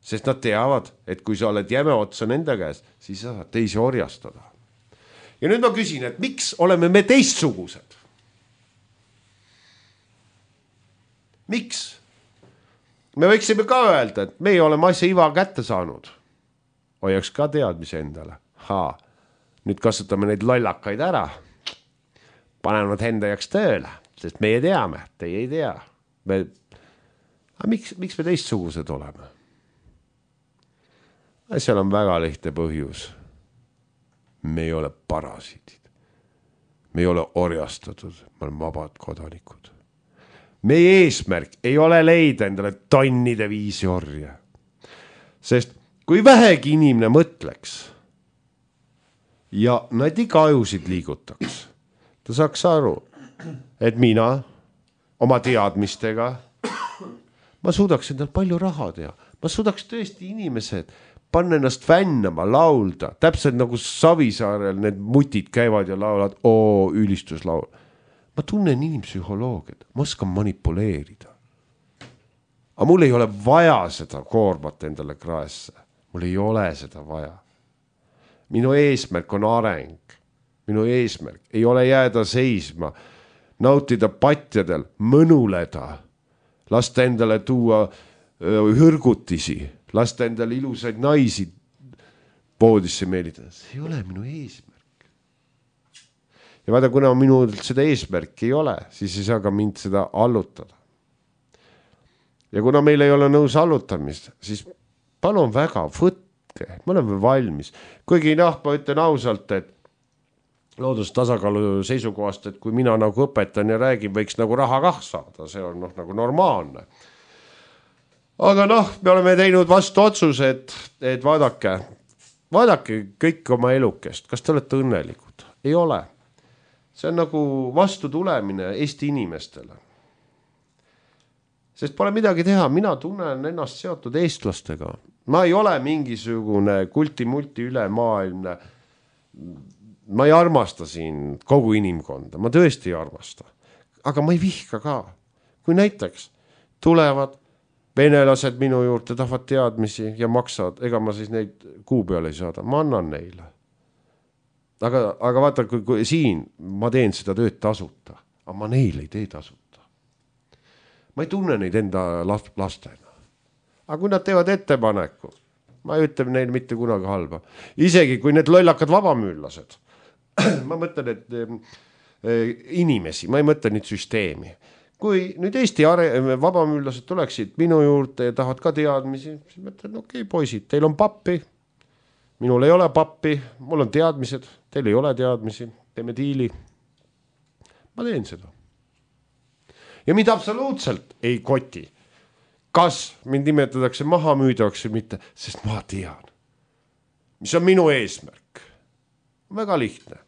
Speaker 3: Sest nad teavad, et kui sa oled jäme otsa nende käes, siis sa saad teisi orjastada. Ja nüüd ma küsin, et miks oleme me teistsugused? Miks? Me võiksime ka öelda, et me oleme asja iva kätte saanud. Hoiaks ka teadmise endale. Haa, nüüd kasutame neid lollakaid ära. Paneme nad enda jaks tööle, sest meie teame, teie ei tea. Me... Aga miks, miks me teistsugused oleme? Seal on väga lihtne põhjus. Me ei ole parasiidid. Me ei ole orjastatud, me oleme vabad kodanikud. Meie eesmärk ei ole leida endale tonnide viisi orja. Sest kui vähegi inimene mõtleks ja nad iga ajusid liigutaks, ta saaks aru, et mina oma teadmistega, ma suudaks endal palju raha teha. Ma suudaks tõesti inimesed panna ennast vännama, laulda. Täpselt nagu Savisaarel need mutid käivad ja laulad, oo, ülistuslaul. Ma tunnen inimpsühholoogiat, ma oskan manipuleerida. Aga mul ei ole vaja seda koormat endale kraesse. Mul ei ole seda vaja. Minu eesmärk on areng. Minu eesmärk ei ole jääda seisma, nautida patjadel, mõnuleda, lasta endale tuua hõrgutisi, lasta endale ilusaid naisi poodisse meelitada. See ei ole minu eesmärk. Ja vaata, kuna minul seda eesmärki ei ole, siis ei saa ka mind seda allutada. Ja kuna meil ei ole nõus allutamist, siis palun väga, võtke, me oleme valmis. Kuigi noh, ma ütlen ausalt, et loodustasakaalu seisukohast, et kui mina nagu õpetan ja räägin, võiks nagu raha kah saada, see on noh, nagu normaalne. Aga noh, me oleme teinud vastu otsuse, et, et vaadake, vaadake kõik oma elukest, kas te olete õnnelikud? Ei ole. See on nagu vastu tulemine Eesti inimestele. Sest pole midagi teha, mina tunnen ennast seotud eestlastega. Ma ei ole mingisugune kulti-multi ülemaailmne. Ma ei armasta siin kogu inimkonda, ma tõesti ei armasta. Aga ma ei vihka ka. Kui näiteks tulevad venelased minu juurde, tahavad teadmisi ja maksavad, ega ma siis neid kuu peale ei saada, ma annan neile. Aga, aga vaata, kui, kui siin ma teen seda tööd tasuta, aga ma neile ei tee tasuta. Ma ei tunne neid enda lastena. Aga kui nad teevad ettepaneku, ma ei ütle neile mitte kunagi halba. Isegi kui need lollakad vabamüüllased, ma mõtlen, et inimesi, ma ei mõtle nüüd süsteemi. Kui nüüd Eesti are- vabamüüllased tuleksid minu juurde ja tahavad ka teadmisi, siis mõtlen, okei, okay, poisid, teil on pappi, minul ei ole pappi, mul on teadmised, teil ei ole teadmisi, teeme diili. Ma teen seda. Ja mind absoluutselt ei koti, kas mind nimetatakse maha müüdavaks või mitte, sest ma tean, mis on minu eesmärk. Väga lihtne.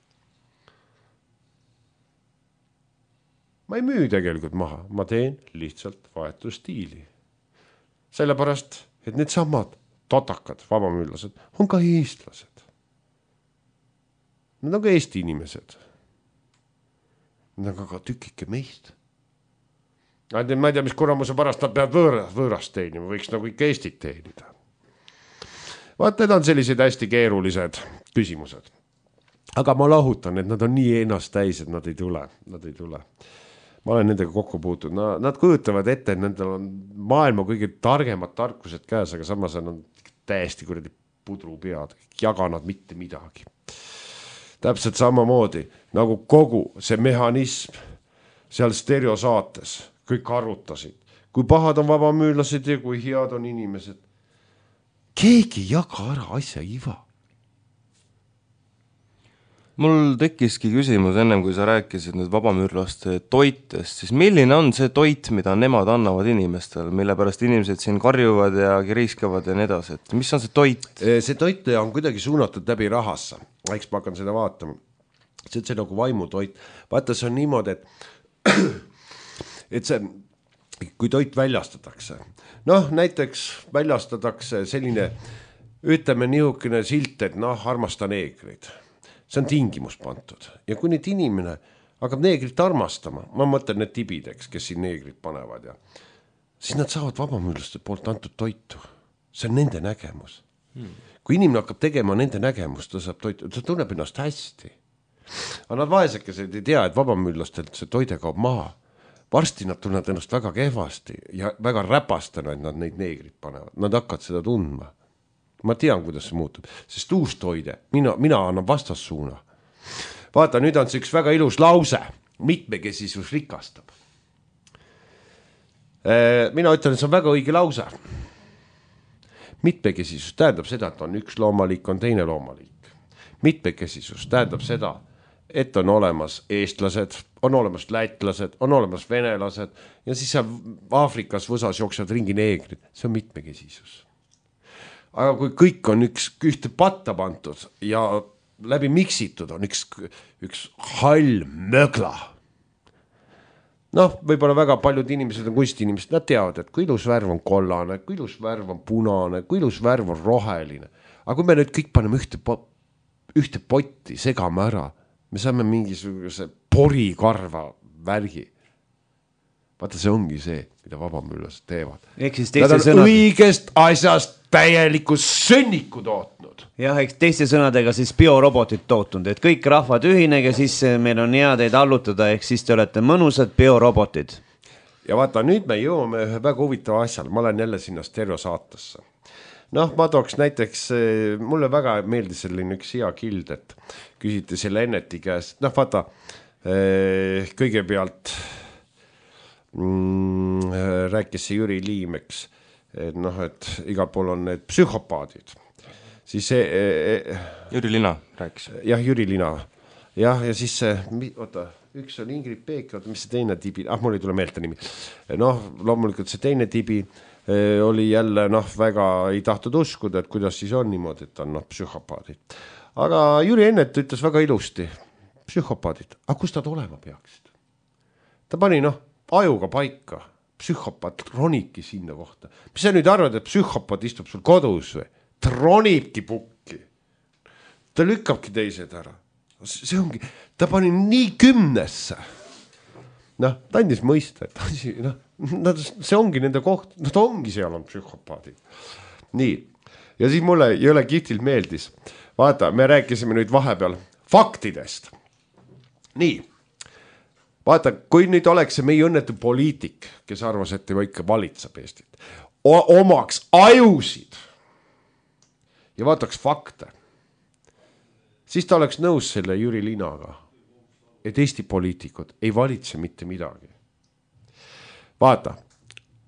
Speaker 3: Ma ei müü tegelikult maha, ma teen lihtsalt vahetustiili. Sellepärast, et need samad totakad, vabamüüllased, on ka eestlased. Nad on ka Eesti inimesed. Nad on ka tükike meist. Ma ei tea, mis kuramuse pärast nad peavad võõrast, võõrast teenima, võiks nagu ikka Eestit teenida. Vaat, need on sellised hästi keerulised küsimused. Aga ma lahutan, et nad on nii ennast täis, et nad ei tule, nad ei tule. Ma olen nendega kokku puutud. No, nad kujutavad ette, et nendel on maailma kõige targemad tarkused käes, aga samas on täiesti kuradi pudru pead. Jaga nad mitte midagi. Täpselt samamoodi, nagu kogu see mehhanism seal stereosaates, kõik arvutasid. Kui pahad on vabamüüllased ja kui head on inimesed. Keegi jaga ära asja iva.
Speaker 2: Mul tekkiski küsimus ennem, kui sa rääkisid nüüd vabamüürlaste toitest, siis milline on see toit, mida nemad annavad inimestel, mille pärast inimesed siin karjuvad ja kiriskavad ja nii edasi, et mis on see toit?
Speaker 3: See toit on kuidagi suunatud läbi rahassa, eks ma hakkan seda vaatama. See on see nagu vaimutoit. Vaata, see on niimoodi, et, et see, kui toit väljastatakse, noh, näiteks väljastatakse selline, ütleme niisugune silt, et noh, armasta neegrid. See on tingimus pantud. Ja kui nüüd inimene hakkab neegrit armastama, ma mõtlen need tibideks, kes siin neegrit panevad, ja siis nad saavad vabamüürlaste poolt antud toitu. See on nende nägemus. Hmm. Kui inimene hakkab tegema nende nägemust, ta saab toitu, ta tunneb ennast hästi. Aga nad vaesekesed ei tea, et vabamüürlastelt see toide kaob maha. Varsti nad tunnevad ennast väga kehvasti ja väga räpastena, et nad neid neegrit panevad. Nad hakkavad seda tundma. Ma tean, kuidas see muutub, sest uus toide, mina, mina annan vastassuuna. Vaata, nüüd on see üks väga ilus lause, mitmekesisus rikastab. Mina ütlen, et see on väga õige lause. Mitmekesisus tähendab seda, et on üks loomaliik, on teine loomaliik. Mitmekesisus tähendab seda, et on olemas eestlased, on olemas lätlased, on olemas venelased ja siis Aafrikas võsas jooksevad ringi neegrid. See on mitmekesisus. Aga kui kõik on üks ühte patta pantud ja läbi miksitud on üks, üks hall mögla. Noh, võib-olla väga paljud inimesed on kunstiinimesed, nad teavad, et kui ilus värv on kollane, kui ilus värv on punane, kui ilus värv on roheline. Aga kui me nüüd kõik paneme ühte, ühte potti, segame ära, me saame mingisuguse porikarva värgi. Vaata, see ongi see, mida vabamüürlased teevad. Nad on sõnad... õigest asjast täieliku sõnniku tootnud.
Speaker 1: Jah, eks teiste sõnadega siis biorobotid tootnud, et kõik rahvad ühinege, siis meil on hea teid allutada, ehk siis te olete mõnusad biorobotid.
Speaker 3: Ja vaata, nüüd me jõuame ühe väga huvitava asjale, ma olen jälle sinna stereosaatesse. Noh, ma tooks näiteks, mulle väga meeldis selline üks hea kild, et küsiti selle Enneti käest, noh vaata, kõigepealt Mm, rääkis see Jüri Liim, eks, et noh, et igal pool on need psühhopaadid. Siis see... E,
Speaker 2: Jüri Lina rääkis.
Speaker 3: Jah, Jüri Lina. Jah, ja siis see, oota, üks on Ingrid Peek, oota, mis see teine tibi, ah, mul ei tule meelde nimi. Noh, loomulikult see teine tibi eh, oli jälle, noh, väga ei tahtnud uskuda, et kuidas siis on niimoodi, et on noh, psühhopaadid. Aga Jüri Ennet ütles väga ilusti, psühhopaadid, aga kus nad olema peaksid? Ta pani, noh, ajuga paika, psühhopaat ronibki sinna kohta. Mis sa nüüd arvad, et psühhopaat istub sul kodus või? Ta ronibki pukki. Ta lükkabki teised ära. See ongi, ta pani nii kümnesse. Noh, ta andis mõista, et no, see ongi nende koht, nad ongi seal on psühhopaadid. Nii, ja siis mulle jõle kihtilt meeldis. Vaata, me rääkisime nüüd vahepeal faktidest. Nii, vaata, kui nüüd oleks see meie õnnetu poliitik, kes arvas, et tema ikka valitseb Eestit, omaks ajusid ja vaataks fakte, siis ta oleks nõus selle Jüri Linaga. et Eesti poliitikud ei valitse mitte midagi. Vaata,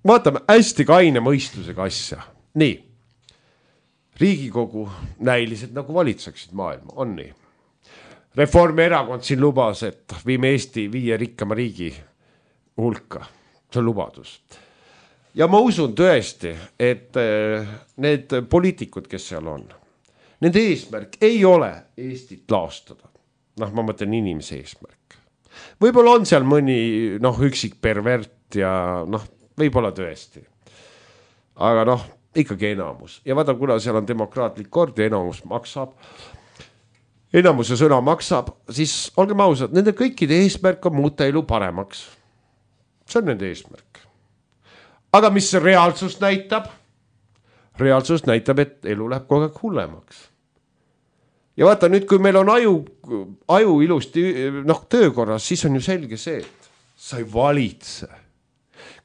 Speaker 3: vaatame hästi kaine mõistusega asja. Nii, Riigikogu näilised nagu valitseksid maailma, on nii. Reformierakond siin lubas, et viime Eesti viie rikkama riigi hulka. See on lubadus. Ja ma usun tõesti, et need poliitikud, kes seal on, nende eesmärk ei ole Eestit laastada. Noh, ma mõtlen inimese eesmärk. Võib-olla on seal mõni noh, üksik pervert ja noh, võib-olla tõesti. Aga noh, ikkagi enamus. Ja vaata, kuna seal on demokraatlik kord ja enamus maksab, enamuse sõna maksab, siis olgem ausad, nende kõikide eesmärk on muuta elu paremaks. See on nende eesmärk. Aga mis see reaalsus näitab? Reaalsus näitab, et elu läheb kogu aeg hullemaks. Ja vaata nüüd, kui meil on aju, aju ilusti noh, töökorras, siis on ju selge see, et sa ei valitse.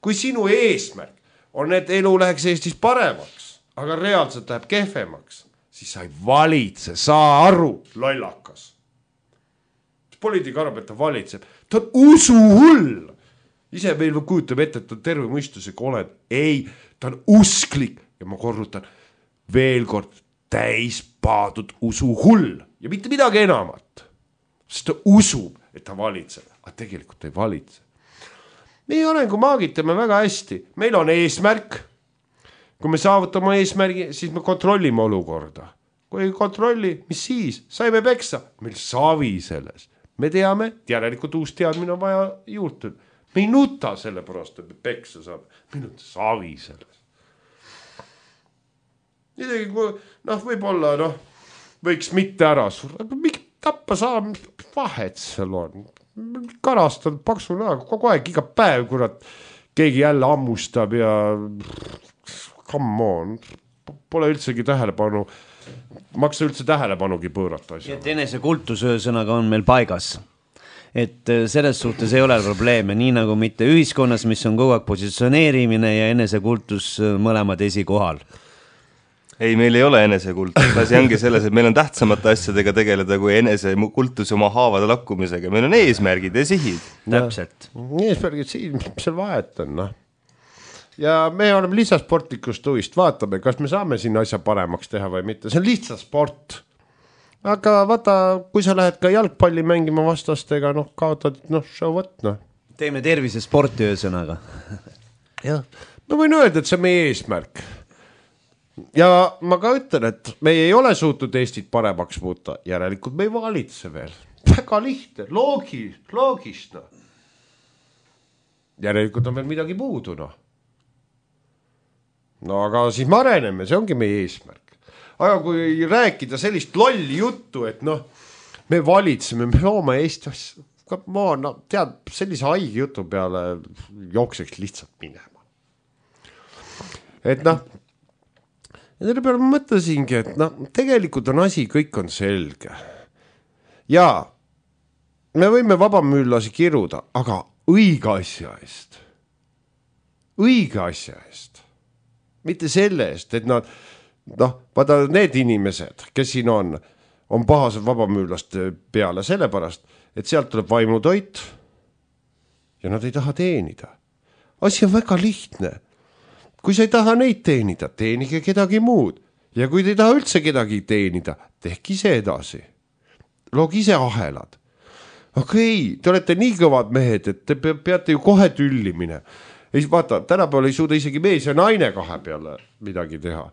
Speaker 3: Kui sinu eesmärk on, et elu läheks Eestis paremaks, aga reaalselt läheb kehvemaks, siis sa ei valitse, saa aru, lollakas. Poliitik arvab, et ta valitseb. Ta on usuhull. Ise meil kujutab ette, et ta on terve mõistusega oled. Ei, ta on usklik ja ma korrutan veel kord täis paadud usuhull ja mitte midagi enamat. Sest ta usub, et ta valitseb, aga tegelikult ei valitse. Meie arengumaagid teeme väga hästi. Meil on eesmärk. Kui me saavutame eesmärgi, siis me kontrollime olukorda. Kui ei kontrolli, mis siis? Saime peksa. Meil savi selles. Me teame, et järelikult uus teadmine on vaja juurde. Me ei nuta selle pärast, et me peksa saab. Meil on savi selles. Midagi, kui, noh, võib-olla, noh, võiks mitte ära surra. Miks tappa saab, vahet seal on. Karastad paksu näoga, kogu aeg, iga päev, kurat, keegi jälle ammustab ja come on, pole üldsegi tähelepanu, maksa üldse tähelepanugi pöörata asja.
Speaker 1: Et enese kultusöösõnaga on meil paigas. Et selles suhtes ei ole probleeme, nii nagu mitte ühiskonnas, mis on kogu aeg positsioneerimine ja enese kultus mõlemad esikohal.
Speaker 2: Ei, meil ei ole enesekultus, asi ongi selles, et meil on tähtsamate asjadega tegeleda kui enesekultus oma haavade lakkumisega. Meil on eesmärgid ja sihid.
Speaker 1: Täpselt.
Speaker 3: Eesmärgid siin, mis seal vahet on, noh. Ja me oleme lihtsalt sportlikust huvist, vaatame, kas me saame siin asja paremaks teha või mitte. See on lihtsalt sport. Aga vaata, kui sa lähed ka jalgpalli mängima vastastega, noh, kaotad, noh, show what, noh.
Speaker 1: Teeme tervise sporti öösõnaga.
Speaker 3: Jah, ma võin öelda, et see on meie eesmärk. Ja ma ka ütlen, et me ei ole suutnud Eestit paremaks muuta. Järelikult me ei valitse veel. Väga lihtne, loogis, loogist. No. Järelikult on veel midagi puudu. No. no aga siis me areneme, see ongi meie eesmärk. Aga kui rääkida sellist lolli juttu, et noh, me valitseme, me loome Eesti asja. Ma no, tead, sellise haigi jutu peale jookseks lihtsalt minema. Et noh, ja selle peale ma mõtlesingi, et no, tegelikult on asi, kõik on selge. Ja me võime vabamüüllasi kiruda, aga õige asja eest. Õige asja eest. Mitte selle eest, et nad, noh, vaata need inimesed, kes siin on, on pahased vabamüüllaste peale sellepärast, et sealt tuleb vaimutoit ja nad ei taha teenida. Asi on väga lihtne. Kui sa ei taha neid teenida, teenige kedagi muud. Ja kui te ei taha üldse kedagi teenida, tehke ise edasi. Loog ise ahelad. Okei, te olete nii kõvad mehed, et te peate ju kohe tüllimine. Ei, vaata, tänapäeval ei suuda isegi mees ja naine kahe peale midagi teha.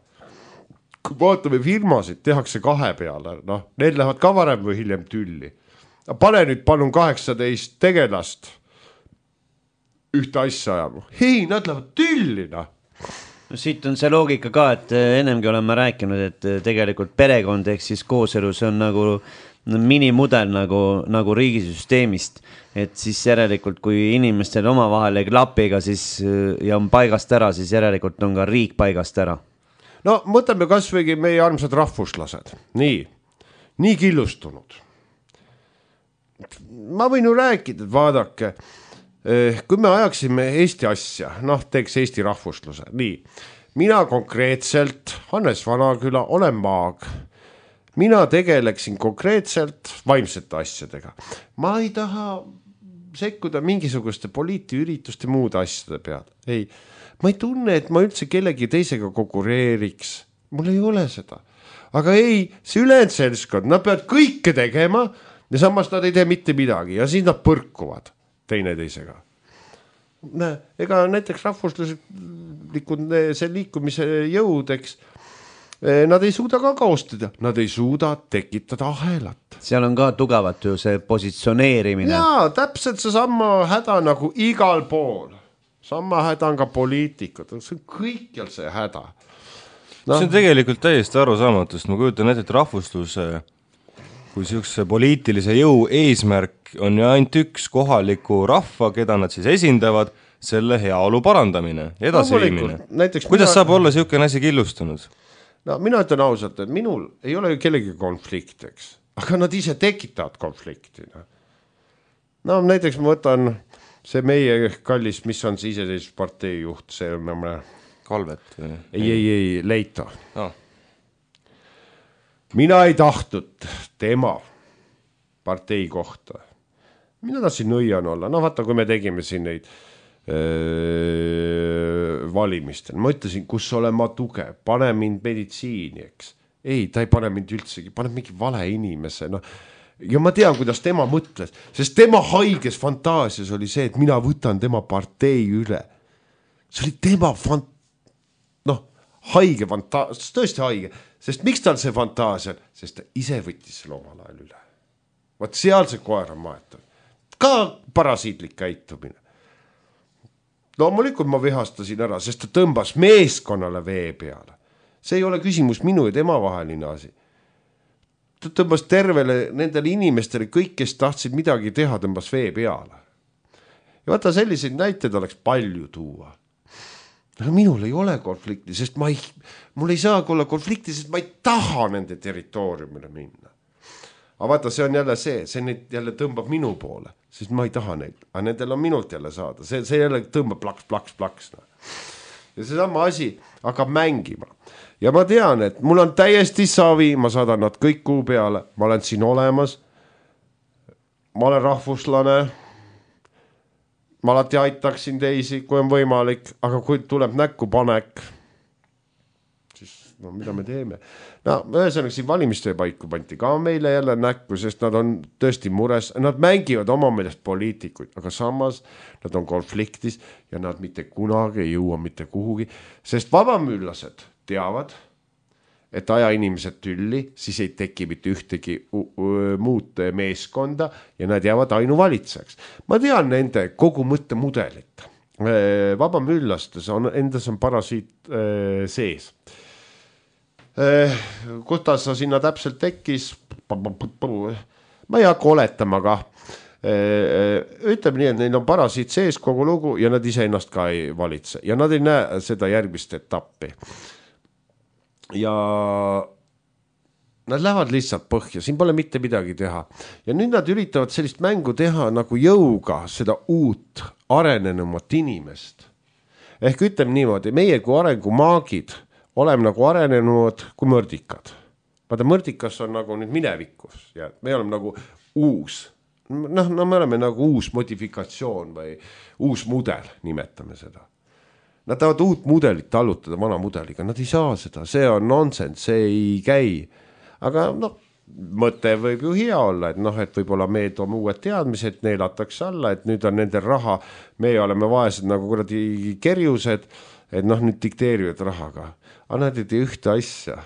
Speaker 3: Kui vaatame firmasid, tehakse kahe peale. No, need lähevad ka varem või hiljem tülli. Pane nüüd palun kaheksateist tegelast ühte asja ajama. Hei, nad lähevad tülli, noh.
Speaker 1: No siit on see loogika ka, et ennemgi olen ma rääkinud, et tegelikult perekond ehk siis kooselus on nagu minimudel nagu, nagu riigisüsteemist, et siis järelikult kui inimestel omavahel ei klapiga siis, ja on paigast ära, siis järelikult on ka riik paigast ära.
Speaker 3: No mõtleme kas võigi meie armsad rahvuslased, nii, nii killustunud. Ma võin ju rääkida, et vaadake, kui me ajaksime Eesti asja, noh, teeks Eesti rahvusluse, nii, mina konkreetselt, Hannes Vanaküla, olen maag, mina tegeleksin konkreetselt vaimsete asjadega. Ma ei taha sekkuda mingisuguste poliitiürituste muude asjade peale. Ei, ma ei tunne, et ma üldse kellegi teisega konkureeriks. Mul ei ole seda. Aga ei, see ülejäänud seltskond, nad peavad kõike tegema ja samas nad ei tee mitte midagi ja siis nad põrkuvad teine teisega. Ega näiteks rahvuslikud see liikumise jõudeks, nad ei suuda ka kaostada, nad ei suuda tekitada ahelat.
Speaker 1: Seal on ka tugevat ju see positsioneerimine.
Speaker 3: Jaa, täpselt see sama häda nagu igal pool. Sama häda on ka poliitikud, see on kõikjal see häda. No.
Speaker 2: See on tegelikult täiesti arusaamatus, ma kujutan ette, et rahvusluse kui siukse poliitilise jõu eesmärk on ju ainult üks kohaliku rahva, keda nad siis esindavad, selle heaolu parandamine, edasiviimine. No, kuidas mina... saab olla siukene asi killustunud?
Speaker 3: No mina ütlen ausalt, et minul ei ole ju kellegi konflikteks, aga nad ise tekitavad konflikti. No näiteks ma võtan see meie kallis, mis on see iseseisvuspartei juht, see on mõne...
Speaker 2: Kalvet?
Speaker 3: Ei, ei, ei, Leito.
Speaker 2: No.
Speaker 3: Mina ei tahtnud tema partei kohta. Mina tahtsin nõian olla. No vaata, kui me tegime siin neid öö, valimistel. Ma ütlesin, kus olen ma tugev. Pane mind meditsiini, eks. Ei, ta ei pane mind üldsegi. Pane mingi vale inimese. No. Ja ma tean, kuidas tema mõtles. Sest tema haiges fantaasias oli see, et mina võtan tema partei üle. See oli tema fantaasia. Noh, haige fantaasia, tõesti haige, sest miks tal see fantaasia, sest ta ise võttis selle omal ajal üle. Vaat seal see koer on maetud. Ka parasiitlik käitumine. Loomulikult ma vihastasin ära, sest ta tõmbas meeskonnale vee peale. See ei ole küsimus minu ja tema vaheline asi. Ta tõmbas tervele nendele inimestele, kõik, kes tahtsid midagi teha, tõmbas vee peale. Ja vaata, selliseid näiteid oleks palju tuua. Aga minul ei ole konflikti, sest ma ei, mul ei saagi olla konflikti, sest ma ei taha nende territooriumile minna. Aga vaata, see on jälle see, see neid jälle tõmbab minu poole, sest ma ei taha neid, aga nendel on minult jälle saada. See, see jälle tõmbab plaks, plaks, plaks. Ja see sama asi hakkab mängima. Ja ma tean, et mul on täiesti savi, ma saadan nad kõik kuu peale, ma olen siin olemas, ma olen rahvuslane, ma alati aitaksin teisi, kui on võimalik, aga kui tuleb näkku panek, siis no mida me teeme? No, ühesõnaga siin valimiste paiku panti ka meile jälle näkku, sest nad on tõesti mures, nad mängivad oma meelest poliitikuid, aga samas nad on konfliktis ja nad mitte kunagi ei jõua mitte kuhugi, sest vabamüllased teavad, et aja inimesed tülli, siis ei teki mitte ühtegi muud meeskonda ja nad jäävad ainuvalitseks. Ma tean nende kogu mõttemudelit. Vabamüllastes on, endas on parasiit sees. Kuidas sa sinna täpselt tekkis? Ma ei hakka oletama ka. Ütleme nii, et neil on parasiit sees kogu lugu ja nad ise ennast ka ei valitse. Ja nad ei näe seda järgmist etappi. Ja nad lähevad lihtsalt põhja, siin pole mitte midagi teha. Ja nüüd nad üritavad sellist mängu teha nagu jõuga seda uut arenenumat inimest. Ehk ütleme niimoodi, meie kui arengumaagid oleme nagu arenenud kui mõrdikad. Vaata, mõrdikas on nagu nüüd minevikus ja me oleme nagu uus. Noh, no me oleme nagu uus modifikatsioon või uus mudel, nimetame seda. Nad tahavad uut mudelit tallutada vana mudeliga, nad ei saa seda, see on nonsense, see ei käi. Aga noh, mõte võib ju hea olla, et noh, et võib-olla me toome uued teadmised, neelatakse alla, et nüüd on nendel raha, me oleme vaesed nagu kuradi kerjused, et noh, nüüd dikteerivad rahaga. Aga nad ei tee ühte asja,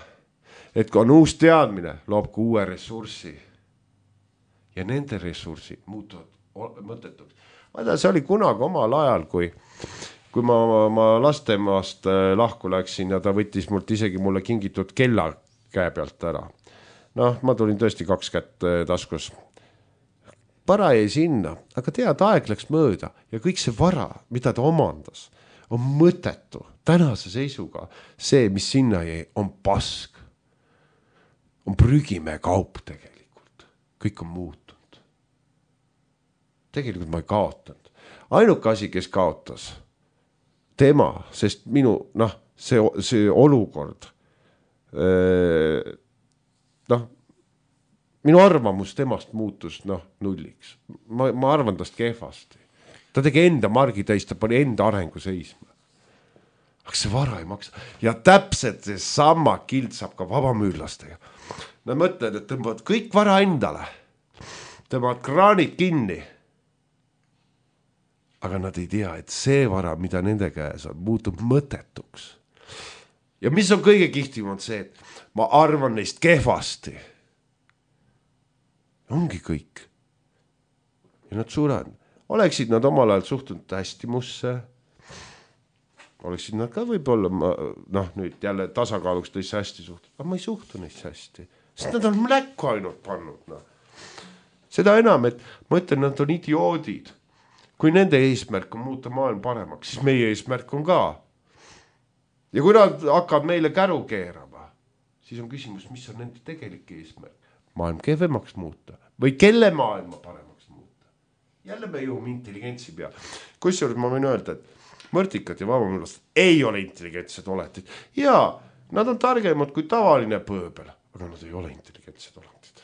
Speaker 3: et kui on uus teadmine, loob ka uue ressursi. Ja nende ressursid muutuvad mõttetuks. Vaata, see oli kunagi omal ajal, kui kui ma, ma lastemaast lahku läksin ja ta võttis mult isegi mulle kingitud kella käe pealt ära. Noh, ma tulin tõesti kaks kätt taskus. Vara jäi sinna, aga tead, aeg läks mööda ja kõik see vara, mida ta omandas, on mõttetu. Tänase seisuga see, mis sinna jäi, on pask. On prügimäe kaup tegelikult. Kõik on muutunud. Tegelikult ma ei kaotanud. Ainuke asi, kes kaotas, tema, sest minu, noh, see, see olukord, noh, minu arvamus temast muutus noh nulliks. Ma, ma arvan tast kehvasti. Ta tegi enda margitäis, ta pani enda arengu seisma. Aga see vara ei maksa. Ja täpselt see sama kiltsab ka vabamüürlastega. Nad mõtlevad, et tõmbavad kõik vara endale. Tõmbavad kraanid kinni. Aga nad ei tea, et see vara, mida nende käes on, muutub mõtetuks. Ja mis on kõige kihtim on see, et ma arvan neist kehvasti. Ongi kõik. Ja nad surevad. Oleksid nad omal ajal suhtunud hästi musse, oleksid nad ka võib-olla, noh nüüd jälle tasakaaluks tõesti hästi suhtunud, aga ma ei suhtu neist hästi, sest nad on mläkku ainult pannud. No. Seda enam, et ma ütlen, nad on idioodid. Kui nende eesmärk on muuta maailm paremaks, siis meie eesmärk on ka. Ja kui nad hakkavad meile käru keerama, siis on küsimus, mis on nende tegelik eesmärk. Maailm kehvemaks muuta või kelle maailma paremaks. Jälle me jõuame intelligentsi peale. Kusjuures ma võin öelda, et mõrtikad ja vabamüürlased ei ole intelligentsed oletid. Jaa, nad on targemad kui tavaline pööbel, aga nad ei ole intelligentsed oletid.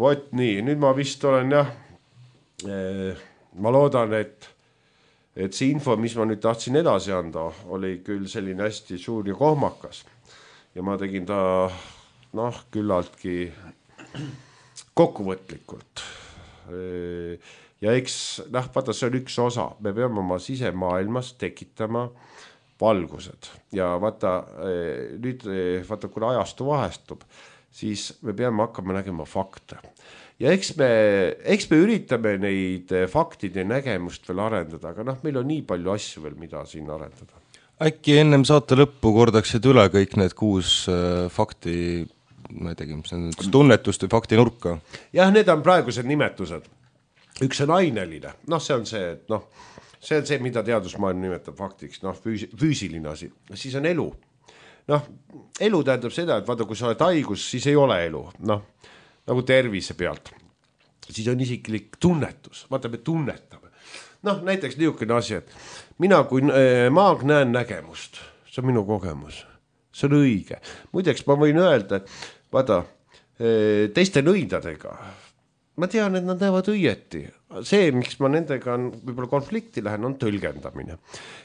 Speaker 3: Vot nii, nüüd ma vist olen jah, ma loodan, et, et see info, mis ma nüüd tahtsin edasi anda, oli küll selline hästi suur ja kohmakas. Ja ma tegin ta, noh, küllaltki kokkuvõtlikult. Ja eks, noh, vaata, see on üks osa. Me peame oma sisemaailmas tekitama valgused. Ja vaata, nüüd, vaata, kui ajastu vahestub, siis me peame hakkama nägema fakte. Ja eks me, eks me üritame neid faktide nägemust veel arendada, aga noh, meil on nii palju asju veel, mida siin arendada.
Speaker 2: Äkki ennem saate lõppu kordaksid üle kõik need kuus fakti ma ei tegi, mis on tunnetust või fakti nurka.
Speaker 3: Jah, need on praegused nimetused. Üks on aineline. Noh, see on see, et noh, see on see, mida teadusmaailm nimetab faktiks, noh, füüsi, füüsiline asi. Siis on elu. Noh, elu tähendab seda, et vaata, kui sa oled haigus, siis ei ole elu. Noh, nagu tervise pealt. Siis on isiklik tunnetus. Vaata, me tunnetame. Noh, näiteks niisugune asi, et mina kui maag näen nägemust. See on minu kogemus. See on õige. Muideks ma võin öelda, et vaata, teiste nõidadega, ma tean, et nad näevad õieti. See, miks ma nendega on, võib-olla konflikti lähen, on tõlgendamine.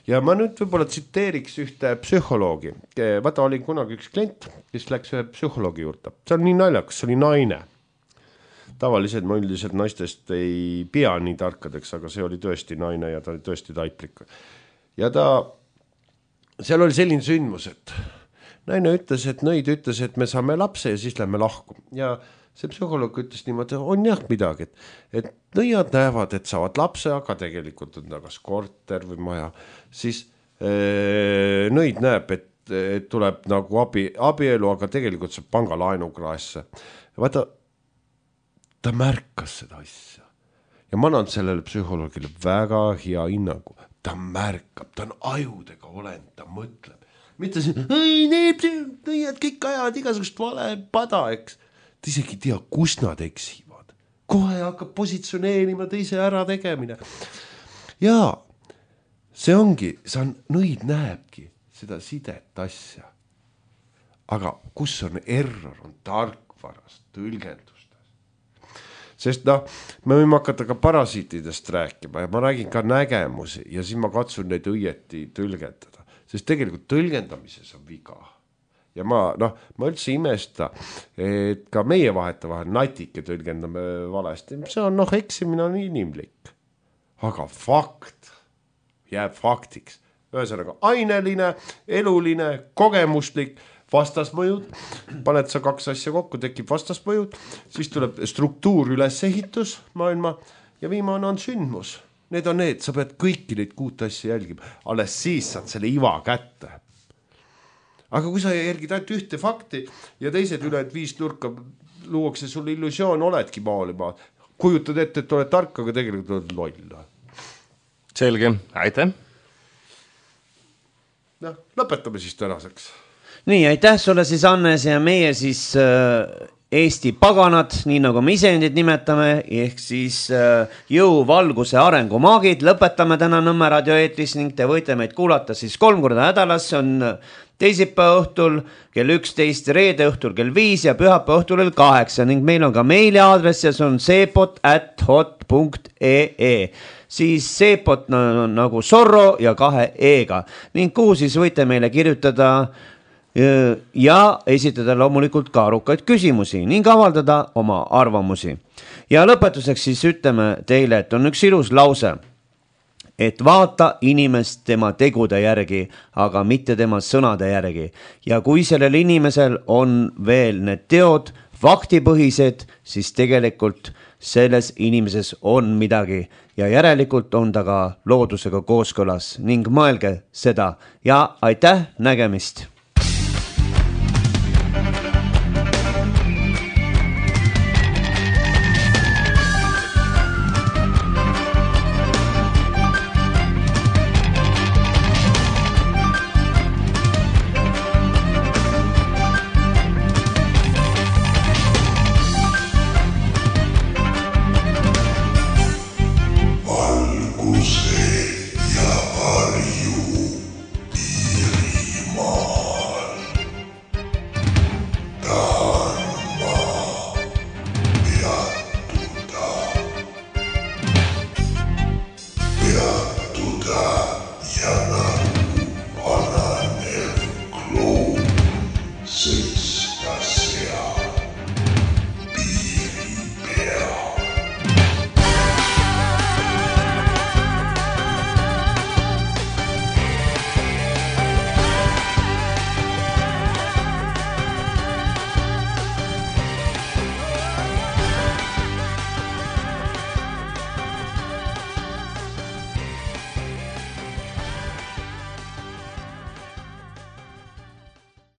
Speaker 3: Ja ma nüüd võib-olla tsiteeriks ühte psühholoogi. Vaata, oli kunagi üks klient, kes läks ühe psühholoogi juurde. See on nii naljakas, see oli naine. Tavaliselt ma üldiselt naistest ei pea nii tarkadeks, aga see oli tõesti naine ja ta oli tõesti taiplik. Ja ta, seal oli selline sündmus, et naine ütles, et nõid ütles, et me saame lapse ja siis lähme lahku. Ja see psühholoog ütles niimoodi, on jah midagi, et, et nõiad näevad, et saavad lapse, aga tegelikult on tagas korter või maja. Siis ee, nõid näeb, et, et tuleb nagu abi, abielu, aga tegelikult saab pangalaenu kraesse. Vaata, ta märkas seda asja. Ja ma annan sellele psühholoogile väga hea hinnangu. Ta märkab, ta on ajudega olend, ta mõtleb. Mitte see, ei, need, need kõik ajavad igasugust vale pada, eks. Ta isegi tea, kus nad eksivad. Kohe hakkab positsioneerima teise ära tegemine. Ja see ongi, see on, nõid näebki seda sidet asja. Aga kus on error, on tarkvarast, tõlgendustes. Sest noh, me võime hakata ka parasiitidest rääkima ja ma räägin ka nägemusi ja siis ma katsun neid õieti tõlgendada. Sest tegelikult tõlgendamises on viga. Ja ma, noh, ma üldse imesta, et ka meie vaheta vahel natike tõlgendame valesti. See on, noh, eksimine on inimlik. Aga fakt jääb faktiks. Ühesõnaga, aineline, eluline, kogemuslik, vastasmõjud. Paned sa kaks asja kokku, tekib vastasmõjud. Siis tuleb struktuur ülesehitus maailma ja viimane on sündmus. Need on need, sa pead kõiki neid kuut asja jälgima. Alles siis saad selle iva kätte. Aga kui sa jälgid ainult ühte fakti ja teised üle viis nurka luuakse sul illusioon, oledki maalima. Kujutad ette, et oled tark, aga tegelikult oled loll.
Speaker 2: Selge, aitäh.
Speaker 3: No, lõpetame siis tänaseks.
Speaker 1: Nii, aitäh sulle siis, Annes, ja meie siis äh, Eesti paganad, nii nagu me isendid nimetame, ehk siis jõu, valguse, arengumaagid. Lõpetame täna Nõmme raadio eetris ning te võite meid kuulata siis kolm korda nädalas. See on teisipäeva õhtul kell üksteist, reede õhtul kell viis ja pühapäeva õhtul kell kaheksa ning meil on ka meiliaadress ja see on seepot at hot punkt ee. Siis seepot nagu Zorro ja kahe e-ga ning kuhu siis võite meile kirjutada ja esitada loomulikult ka arukaid küsimusi ning avaldada oma arvamusi. Ja lõpetuseks siis ütleme teile, et on üks ilus lause, et vaata inimest tema tegude järgi, aga mitte tema sõnade järgi. Ja kui sellel inimesel on veel need teod faktipõhised, siis tegelikult selles inimeses on midagi ja järelikult on ta ka loodusega kooskõlas ning mõelge seda ja aitäh, nägemist!